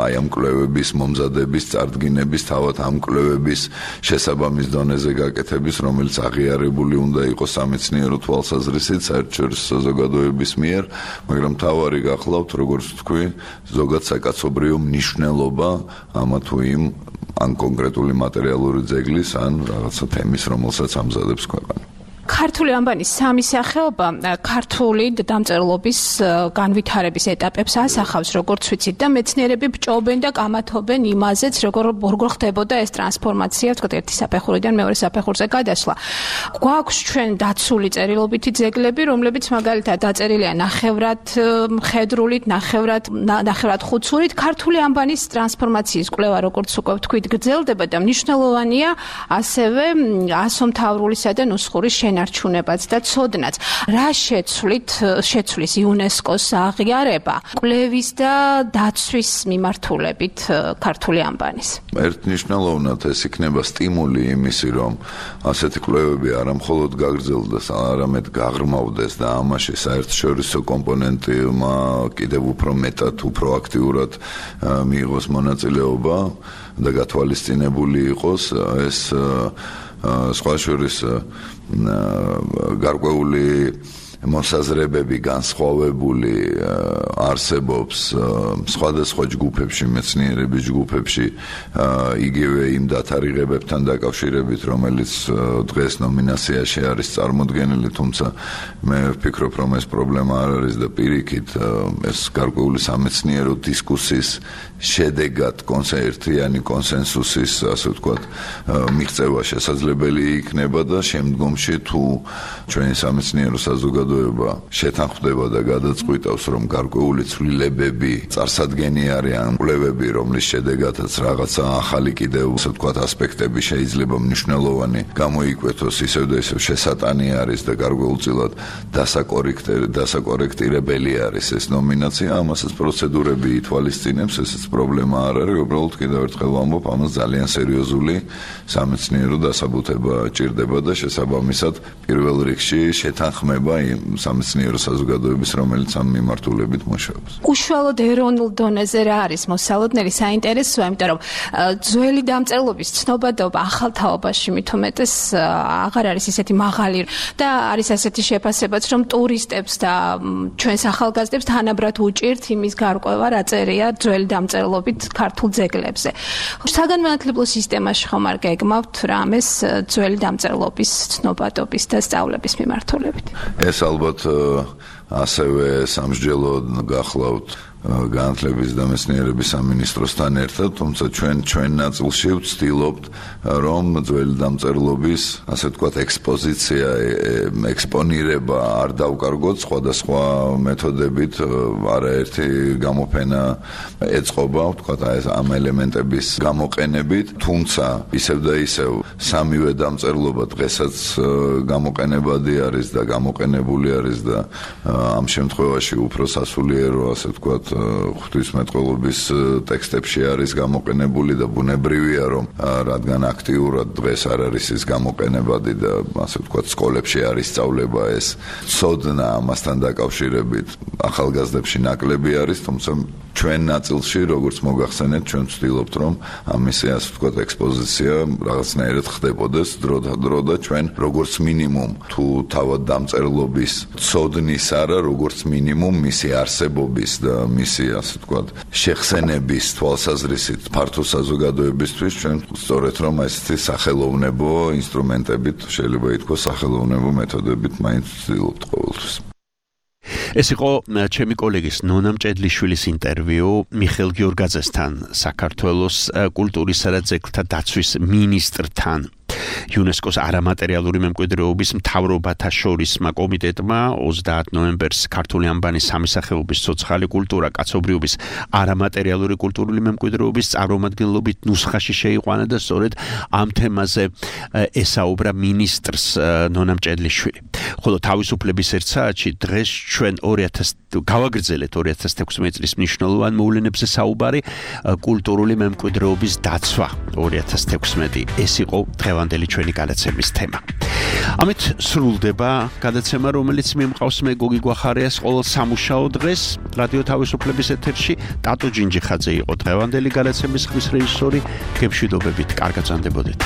აი ამ კვლევების მომზადების, წარდგინების, თავად ამ კვლევების შესაბამის დონეზე გაკეთების, რომელიც აღიარებული უნდა იყოს სამეცნიერო თვალსაზრისით საერთაშორისო საზოგადოების მიერ, მაგრამ თავარი გახლავთ, როგორც ვთქვი, ზოგად საკაცობრიო მნიშვნელობა ამა თუ იმ ან კონკრეტული მატერიალური ძეგლის, ან რაღაცა თემის, რომელსაც ამზადებს ქვეყანა. ქართული ანბანის სამი სახეობა ქართული დამწერლობის განვითარების ეტაპებს ასახავს, როგორც ვიცით, და მეცნიერები ბჭობენ და კამათობენ იმაზეც, როგორ როგორ ხდებოდა ეს ტრანსფორმაცია, თქვა ერთი საფეხურიდან მეორე საფეხურზე გადასვლა. გვაქვს ჩვენ დაცული წერილობითი ძეგლები, რომლებიც მაგალითად დაწერილია ნახევრად მხედრულით, ნახევრად ნახევრად ხუცურით. ქართული ანბანის ტრანსფორმაციის კვლევა, როგორც უკვე ვთქვით, გრძელდება და მნიშვნელოვანია ასევე ასომთავრულისა და ნუსხურის შენარჩუნებაც და ცოდნაც. რა შეცვლით შეცვლის იუნესკოს აღიარება კვლევის და დაცვის მიმართულებით ქართული ანბანის? ერთნიშნულოვნად ეს იქნება სტიმული იმისი, რომ ასეთი კვლევები არა მხოლოდ გაგრძელდეს, არამედ გაღრმავდეს და ამაში საერთაშორისო კომპონენტმა კიდევ უფრო მეტად, უფრო აქტიურად მიიღოს მონაწილეობა და გათვალისწინებული იყოს ეს სხვა შორის გარკვეული მოსაზრებები განსხვავებული არსებობს სხვადასხვა ჯგუფებში, მეცნიერების ჯგუფებში, იგივე იმ დათარიღებებთან დაკავშირებით, რომელიც დღეს ნომინაციაში არის წარმოდგენილი, თუმცა მე ვფიქრობ, რომ ეს პრობლემა არ არის და პირიქით ეს გარკვეული სამეცნიერო დისკუსიის შედეგად კონსერტიანი კონსენსუსის, ასე ვთქვათ, მიღწევა შესაძლებელი იქნება და შემდგომში თუ ჩვენი სამეცნიერო საზოგადოება შეთანხმდება და გადაწყვიტავს, რომ გარკვეული ცვლილებები წარსადგენი არიან კვლევები, რომლის შედეგადაც რაღაცა ახალი კიდევ, ასე ვთქვათ, ასპექტები შეიძლება მნიშვნელოვანი გამოიკვეთოს, ისევ და ისევ შესატანი არის და გარკვეულწილად დასაკორექტირებელი არის ეს ნომინაცია, ამასაც პროცედურები ითვალისწინებს, ესეც პრობლემა არ არის, უბრალოდ კიდევ ერთხელ ვამბობ, ამას ძალიან სერიოზული სამეცნიერო დასაბუთება ჭირდება და შესაბამისად პირველ რიგში შეთანხმება იმ სამეცნიერო საზოგადოების, რომელიც ამ მიმართულებით მუშაობს. უშუალოდ ეროვნულ დონეზე რა არის მოსალოდნელი საინტერესოა, იმიტომ რომ ძველი დამწერლობის ცნობადობა ახალ თაობაში მით უმეტეს აღარ არის ისეთი მაღალი და არის ასეთი შეფასებაც, რომ ტურისტებს და ჩვენს ახალგაზრდებს თანაბრად უჭირთ იმის გარკვევა, რა წერია ძველი დამწერლობით ქართულ ძეგლებზე. საგანმანათლებლო სისტემაში ხომ არ გეგმავთ რამეს ძველი დამწერლობის ცნობადობის და სწავლების მიმართულებით? ეს ალბათ ასევე სამსჯელოდ გახლავთ განათლების და მეცნიერების სამინისტროსთან ერთად, თუმცა ჩვენ ჩვენ ნაწილში ვცდილობთ, რომ ძველი დამწერლობის, ასე ვთქვათ, ექსპოზიცია, ექსპონირება არ დავკარგოთ სხვადასხვა მეთოდებით, არაერთი გამოფენა ეწყობა, ვთქვათ, ამ ელემენტების გამოყენებით, თუმცა ისევ და ისევ სამივე დამწერლობა დღესაც გამოყენებადი არის და გამოყენებული არის და ამ შემთხვევაში უფრო სასულიერო, ასე ვთქვათ, ღვთისმეტყველობის ტექსტებში არის გამოყენებული და ბუნებრივია, რომ რადგან აქტიურად დღეს არ არის ის გამოყენებადი და ასე ვთქვათ, სკოლებში არის სწავლება, ეს ცოდნა ამასთან დაკავშირებით ახალგაზრდებში ნაკლები არის, თუმცა ჩვენ ნაწილში, როგორც მოგახსენეთ, ჩვენ ვცდილობთ, რომ ამისი, ასე ვთქვათ, ექსპოზიცია რაღაცნაირად ხდებოდეს დრო და დრო და ჩვენ როგორც მინიმუმ თუ თავად დამწერლობის ცოდნისა არა, როგორც მინიმუმ მისი არსებობის და მისი, ასე ვთქვათ, შეხსენების თვალსაზრისით ფართო საზოგადოებისთვის ჩვენ სწორედ რომ ესეთი სახელოვნებო ინსტრუმენტებით შეიძლება ითქვას სახელოვნებო მეთოდებით მაინც ვცდილობთ ყოველთვის. ეს იყო ჩემი კოლეგის ნონა მჭედლიშვილის ინტერვიუ მიხეილ გიორგაძესთან, საქართველოს კულტურისა და ძეგლთა დაცვის მინისტრთან. იუნესკოს არამატერიალური მემკვიდრეობის მთავრობათა შორისმა კომიტეტმა ოცდაათ ნოემბერს ქართული ანბანის სამისახეობის ცოცხალი კულტურა კაცობრიობის არამატერიალური კულტურული მემკვიდრეობის წარმომადგენლობით ნუსხაში შეიყვანა და სწორედ ამ თემაზე ესაუბრა მინისტრს ნონა მჭედლიშვილი. ხოლო თავისუფლების ერთ საათში დღეს ჩვენ ორი ათას გავაგრძელეთ ორი ათას თექვსმეტი წლის მნიშვნელოვან მოვლენებზე საუბარი კულტურული მემკვიდრეობის დაცვა ორი ათას თექვსმეტი ეს იყო დღევანდელი ჩვენი გადაცემის თემა. ამით სრულდება გადაცემა, რომელიც მიმყავს მე გოგი გვახარიას ყოველ სამუშაო დღეს რადიო თავისუფლების ეთერში. ტატო ჯინჯიხაძე იყო დღევანდელი გადაცემის ხმის რეჟისორი. გემშვიდობებით, კარგად გრძანდებოდეთ.